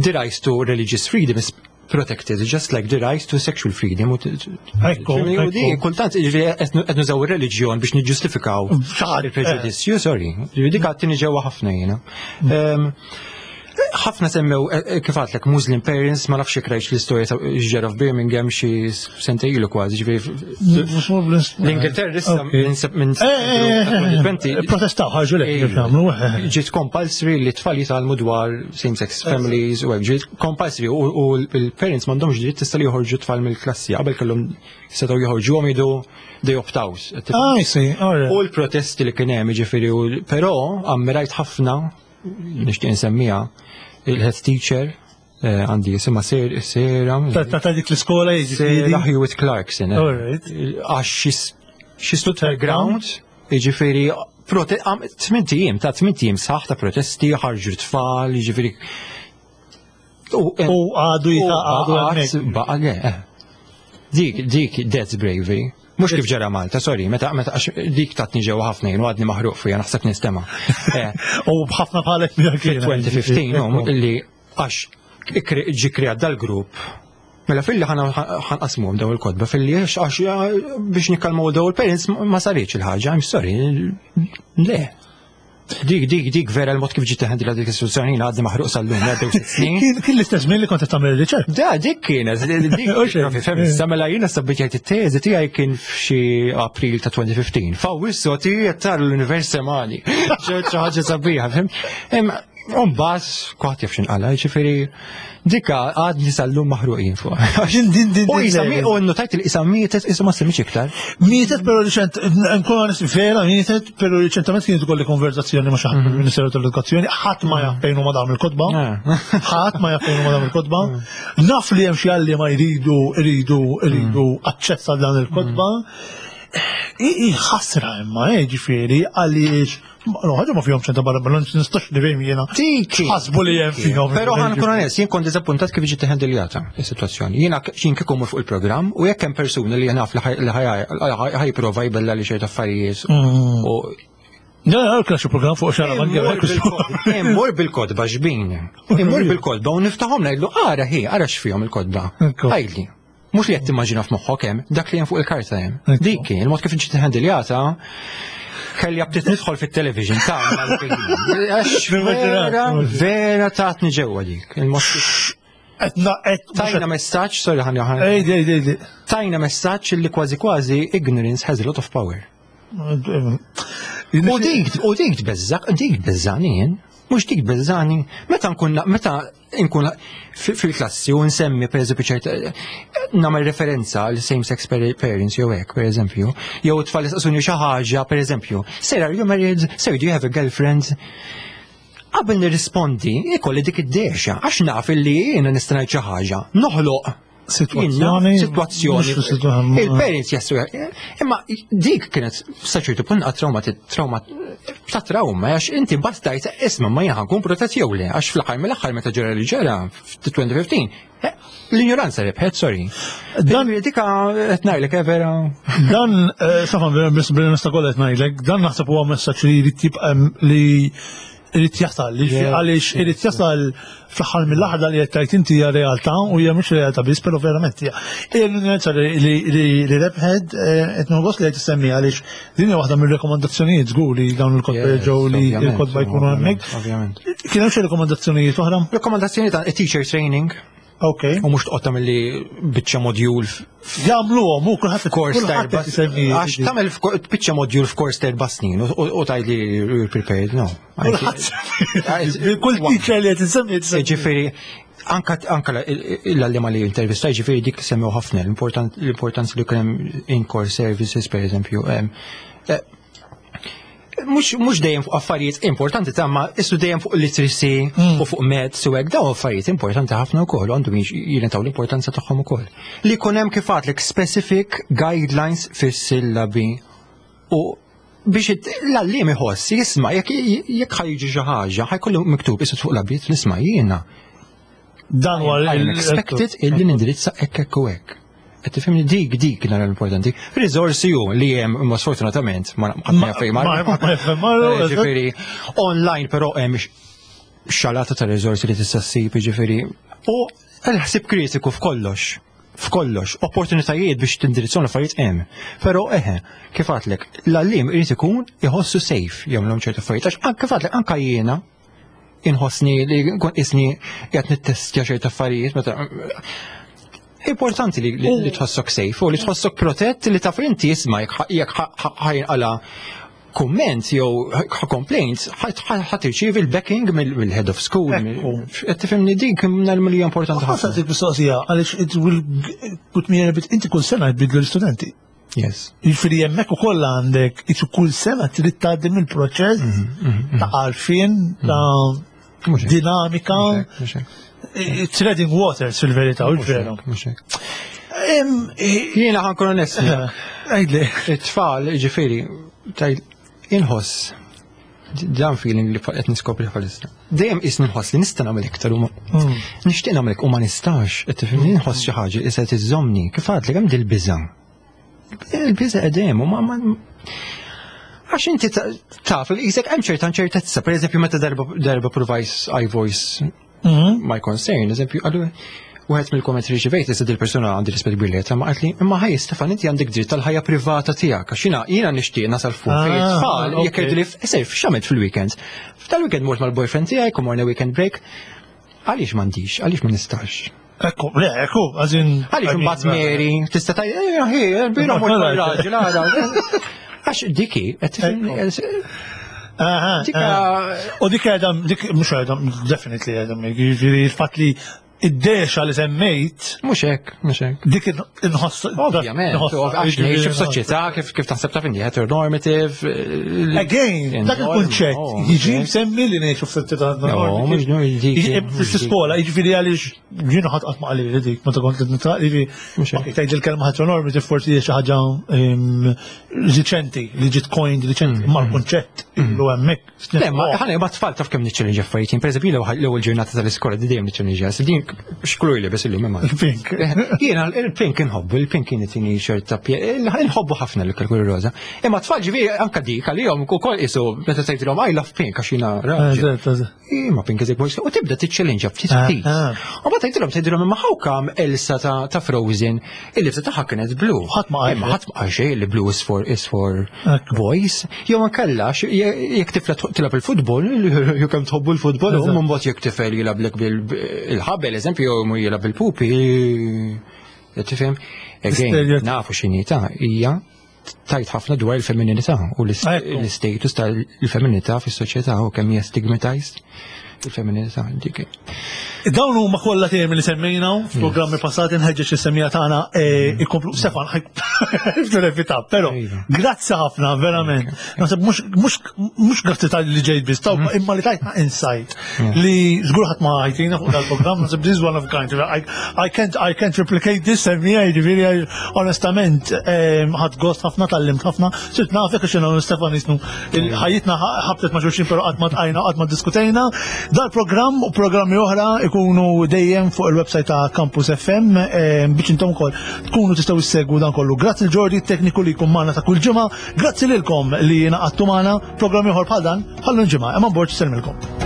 Speaker 2: the right to religious freedom is protected just like the right to sexual freedom. U t-
Speaker 1: Ekku,
Speaker 2: u di
Speaker 1: ekku.
Speaker 2: kultant ġifieri qed nużaw ir-reliġjon biex niġġustifikaw
Speaker 1: Ċar,
Speaker 2: il-preġudizzju, sorry. Ġifieri dik għat-tieni ġewwa ħafna jiena. Ehm, ħafna semmew, eh, eh, kif għedtlek, Muslim parents, ma nafx jekk rajtx l-istorja ta' ġara f'Birmingham xi sentejn ilu kważi, ġifieri l-Ingilterra issa
Speaker 1: Ok.
Speaker 2: minn minn
Speaker 1: Eh, eh, eh,
Speaker 2: twenty twenty
Speaker 1: Protestaw ħarġu lek kif jagħmlu. eh.
Speaker 2: ġiet compulsory li tfal jitgħallmu dwar same-sex families u hekk, ġiet compulsory u u l-parents m'għandhomx dritt tista' li joħorġu tfal mill-klassi, qabel kellhom setgħu joħorġuhom jgħidu they opt out.
Speaker 1: Ah, I see, all right.
Speaker 2: U l-protesti li kien hemm, ġifieri, u- però ammirajt ħafna, nixtieq insemmiha, il-head teacher eh, għandi jisimha Sera
Speaker 1: Ta' ta' ta' dik l-iskola jiġifieri.
Speaker 2: Sarah Hewitt Clarkson. eh.
Speaker 1: All right.
Speaker 2: Għax she- she stood her ground, jiġifieri prote- għam- tmint ijiem, ta' tmint ijiem saħ ta' protesti, ħarġu tfal, jiġifieri. U
Speaker 1: U għadu jita' għadu hemmhekk.
Speaker 2: Baqa, le, eh. Dik, dik, that's bravery. Mhux kif ġara Malta, sorry, meta, meta, għax dik tatni ġewwa ħafna jien u għadni maħruq fija, naħseb nistema. Eh,
Speaker 1: U b'ħafna bħalek minn kien.
Speaker 2: fil-elfejn u ħmistax, no, li għax ikri- ġi kreat dal-grupp. Mela filli ħanqasmuhom daw il-kotba, filli għax għax biex nikkalmaw daw il-parents ma saritx il-ħaġa, I'm sorry, le. Dik, dik, dik vera l-mod kif ġiet handled dik is-sitwazzjoni jiena għadni maħruq sal-lum, għaddew sitt snin.
Speaker 1: Kien kien l-istess żmien li kont qed tagħmel ir-riċerka.
Speaker 2: Da, dik kienet, dik,
Speaker 1: Uxej.
Speaker 2: fem, mela jiena sabbiċajt it-teżi tiegħi kien f'xi April ta' elfejn u ħmistax. F'Awwissu ti qed tara l-univers semani. Xi ħaġa sabiħa, fem? Imma Umbagħad, kulħadd jaf x'inqala, ġifieri, dika għadni sal-lum maħruqin fuq.
Speaker 1: Din din din
Speaker 2: U
Speaker 1: din
Speaker 2: isa mi, u notajt li isa mietet, isa ma semmiċ iktar.
Speaker 1: Mietet, pero riċent, nkun onest, vera mietet, pero riċentament kienet ukoll konverzazzjoni ma' xi ħadd mill-Ministeru tal-Edukazzjoni, ħadd ma jaf fejn huma dawn il-kotba.
Speaker 2: Ah.
Speaker 1: Ħadd ma jaf fejn huma dawn il-kotba. Naf li hemm xi għalliema jridu jridu jridu aċċess għal dan il-kotba. I i ħasra imma, eh, ġifieri, għaliex no, ħaġa ma fihom ċenta barra, ma nistax nifhem jiena.
Speaker 2: Tiki.
Speaker 1: Ħasbu li hemm fihom.
Speaker 2: Pero ħa nkun onest, jien kont diżappuntat kif ġiet handljata is-sitwazzjoni. Jiena jien kieku mmur fuq il-programm u jekk hemm persuna li naf li ħa jipprova jbella li ċerta affarijiet u
Speaker 1: Ja, ja, kien xi programm fuq xara ma
Speaker 2: Immur bil-kotba, Immur bil-kotba ġbin. Immur bil-kotba u niftaħhom ngħidlu ara hi, ara x'fihom il-kotba.
Speaker 1: Ekku.
Speaker 2: Għidli. Mhux li qed timmaġina f'moħħok hemm, dak li hemm fuq il-karta hemm.
Speaker 1: Ekku.
Speaker 2: Dik kien, il-mod kif ġiet handljata, kelli aptit nidħol fit-television ta' għax vera, vera tatni ġewwa dik. Il-mod kif-
Speaker 1: Etna, et,
Speaker 2: Tajna messaġġ, sorry ħani ħani.
Speaker 1: Ej, ej, ej, ej.
Speaker 2: Tajna messaġġ li kważi kważi ignorance has a lot of power. U dik, u dik tbeżżak, dik tbeżżani jien. Mhux dik tbeżżani. Meta nkun meta nkun fi- fil-klassi u nsemmi per eżempju ċert nagħmel referenza għal same sex parents jew hekk per eżempju, jew tfal jistaqsuni xi ħaġa per eżempju, "Sir, are you married? Sir, do you have a girlfriend?" Qabel nirrispondi, ikolli dik id-dexa, għax naf illi jiena nista' ngħid xi ħaġa. Noħloq
Speaker 1: Situazzjoni.
Speaker 2: Situazzjoni.
Speaker 1: Mhux situazzjoni.
Speaker 2: Il-parents jassu. Imma dik kienet sa ċertu punt trauma trauma ta' trauma għax inti bastajt isma' ma jien nkun protett jew le għax fl-aħħar mill-aħħar meta ġara li ġara f-elfejn u ħmistax eh, l-ignoranza rebħet, sorry.
Speaker 1: Dan-
Speaker 2: dika qed ngħidlek eh, vera.
Speaker 1: Dan, eh, Stefan, vera biss bil-nista kollha qed ngħidlek, dan naħseb huwa messaġġ li jrid jibqa' li jrid jasal, li
Speaker 2: Yeah.
Speaker 1: għaliex irid jasal fl-aħħar mill-aħħar li qed tgħid inti hija realtà u hija mhux realtà biss, però verament hija. Hija l-ignoranza li li li rebħed eh, qed nħoss li qed tissemmi għaliex din hija waħda mir-rekomandazzjonijiet żgur li dawn il-kotba
Speaker 2: Yes,
Speaker 1: ġew li
Speaker 2: ovvjament,
Speaker 1: l-kotba jkunu hemmhekk.
Speaker 2: Ovvjament.
Speaker 1: Kien hemm xi rekomandazzjonijiet oħra?
Speaker 2: Rekomandazzjoni ta' teacher training
Speaker 1: Ok.
Speaker 2: u mhux toqgħod tagħmel li biċċa module
Speaker 1: Jagħmluhom u kulħadd
Speaker 2: f'kors ta'
Speaker 1: kulħadd
Speaker 2: erba'
Speaker 1: qed isemmi.
Speaker 2: Għax tagħmel f'ko- biċċa module f'kors ta' erba' snin u u tgħid li you're prepared, no.
Speaker 1: Kulħadd kull teacher li qed isemmi qed isemmi.
Speaker 2: Ġifieri, anka anka l-għallima li intervista, ġifieri dik semmew ħafna l-important- l-importanza li kien hemm in-core services, per eżempju. em, eh, Mux, mux dejjem fuq affarijiet importanti ta' ma issu dejjem fuq literacy u fuq maths u hekk dawn affarijiet importanti ħafna wkoll u għandhom jingħataw l-importanza tagħhom ukoll. Li jkun hemm kif għadlek specific guidelines fis-sillabi u biex it- l-għalliem iħoss jisma' jekk jekk ħa jiġi xi ħaġa ħa jkollu miktub isu fuq l-abit nisma' jiena.
Speaker 1: Dan huwa
Speaker 2: I'm expected illi nindirizza hekk hekk u hekk. Qed tifhimni dik dik nara l-importanti. Riżorsi hu li hemm imma sfortunatament ma ħadd ma jaf fejn
Speaker 1: Ma
Speaker 2: marru.
Speaker 1: ma jaf fejn marru,
Speaker 2: Eh, Ġifieri online però hemm xalata ta' riżorsi li tista' ssib, ġifieri. U l-ħsib kritiku f'kollox. F'kollox, opportunitajiet biex tindirizzhom l-affarijiet hemm. Però eħe, kif għadlek, l-għalliem irid ikun iħossu safe jagħmlhom ċertu affarijiet. Għax anke kif għadlek anke jiena inħossni li nkun isni qed nittestja ċertu affarijiet meta Importanti li, li, li tħossok safe u li tħossok protett li taf inti isma' jekk jekk ħa jinqala kumment jew complaints ħa tirċievi l-backing mill-head of school.
Speaker 1: Ekku.
Speaker 2: Qed tifhimni dik nagħmel li importanti
Speaker 1: Ħa
Speaker 2: ħafna.
Speaker 1: nsaqsik mistoqsija, għaliex it will put me in a bit, inti kull sena jbidlu l-istudenti.
Speaker 2: Yes.
Speaker 1: Jiġifieri hemmhekk ukoll għandek, isu kull sena trid tgħaddi mill-proċess ta' għarfien, ta'
Speaker 2: Mhux hekk.
Speaker 1: dinamika,
Speaker 2: Mhux hekk.
Speaker 1: treading waters fil-verità, u veru.
Speaker 2: Mhux hekk.
Speaker 1: Em, eh,
Speaker 2: Jiena ħa nkun onest.
Speaker 1: Għidli.
Speaker 2: It-tfal, ġifieri, taj inħoss dan feeling li qed niskopri bħalissa. Dejjem isni nħoss li nista' nagħmel iktar u ma nixtieq nagħmel u ma nistax, qed tifhimni nħoss xi ħaġa li se tiżżomni. Kif għadlek hemm dil-biża'. Il-biża' qegħdem u ma ma Għax inti ta- taf li qisek hemm ċerta inċertezza, pereżempju meta darba darba provajt I voice my concern, eżempju, għallu, wieħed mill-kommenti li rċivejt, issa dil-persuna għandi rispett kbir lejha, ma qaltli, imma ħaj Stefan, inti għandek dritt tal-ħajja privata tiegħek, għax jiena jiena nixtieq nasal fuq fejn
Speaker 1: Ah,
Speaker 2: it-tfal, jekk
Speaker 1: ok.
Speaker 2: jgħidu li sejf x'għamilt fil-weekend. F'tal-weekend mort mal-boyfriend tiegħi, kum morna weekend break. Għaliex m'għandix, għaliex ma nistax?
Speaker 1: Ekku, le, ekku, għazin.
Speaker 2: Għaliex imbagħad Mary tista' tgħid, eh, ħi, bira mort mal-raġel, għara. Għax diki, qed tifhimni,
Speaker 1: Aha,
Speaker 2: Dika-
Speaker 1: aha. U dik għedha, dik mhux għedha, definitely għedha, jiġifieri il-fatt li id-dexa li semmejt,
Speaker 2: Mhux hekk, mhux hekk.
Speaker 1: dik inħoss.
Speaker 2: Ovvjament, għax ngħixu f'soċjetà kif kif taħseb taf inti heteronormative. eh,
Speaker 1: Again, dak il-kunċett jiġi msemmi li ngħixu f'soċjetà
Speaker 2: No, mhux no, dik-
Speaker 1: Jiġi Fl-iskola, jiġifieri għaliex jiena ħadd qatt ma qali li dik, meta kont nitra, jiġifieri
Speaker 2: Mhux hekk.
Speaker 1: ok, tgħid il-kelma heteronormative forsi hija xi ħaġa em, riċenti, li ġiet coined riċenti, ma l-kunċett ilu hemmhekk.
Speaker 2: Le, ma ħana ma tfal taf kemm niċċellinġa affarijiet. Per eżempju, l-ewwel ġurnata tal-iskola di dejjem niċċellinġa. Din x'kulur li bes illum imma.
Speaker 1: Pink.
Speaker 2: Jiena il-pink inħobbu, il-pink kien itini ċerta inħobbu ħafna l-kulur roża. Imma tfal ġifieri anka dik għalihom ukoll isu meta tgħidilhom I love pink għax jiena raġel.
Speaker 1: Eżatt, eżatt.
Speaker 2: Imma pink is a boy. U tibda tiċċellinġa ftit
Speaker 1: Ah,
Speaker 2: ftit.
Speaker 1: ah.
Speaker 2: U ma tgħidilhom tgħidilhom imma how come Elsa ta' ta' Frozen il-libsa tagħha kienet blu.
Speaker 1: Ħadd ma qal
Speaker 2: Imma ħadd ma qal xejn li blue is for is for
Speaker 1: Ekku.
Speaker 2: boys. Jew ma kellax jekk tifla tilgħab il-futbol, jew kemm tħobbu l-futbol, u mbagħad jekk tifel jilgħablek bil-ħabel, eżempju, jew jilgħab bil-pupi. Tifhem? Again,
Speaker 1: Stereotype.
Speaker 2: nafu x'inhi ta' hija tajt ħafna dwar il-femminilità u
Speaker 1: Ekku.
Speaker 2: l-status tal-femminilità fis-soċjetà u kemm hija stigmatized il-femminilità dik.
Speaker 1: Dawn huma kollha temi li semmejna f'programmi passati nħeġġeġ is-semmiegħa tagħna eh, ikomplu Stefan ħaj però
Speaker 2: Iva.
Speaker 1: grazzi ħafna verament. Naħseb mhux mhux mhux grazzi tal li ġejt biss, taw imma li tajtna insight li żgur ħadd ma ħajtina fuq dal-programm, naħseb this is one of a kind. I, I can't I can't replicate this semmija jiġifieri onestament eh, ħadt gost ħafna tgħallimt ħafna. Sirt nafek għax jiena u Stefan jisnu ħajjitna ħabtet ma' xulxin però qatt ma tqajna qatt ma diskutejna. Dal-programm u programmi oħra ikunu dejjem fuq il-website ta' Campus FM eh, biex intom ukoll tkunu tistgħu issegwu dan kollu. Grazzi l-Ġordi tekniku li jkun magħna ta' kull ġimgħa, grazzi lilkom li ngħaqadtu magħna programmi ieħor bħal dan bħal ġimgħa. Eman Borg sellmilkom.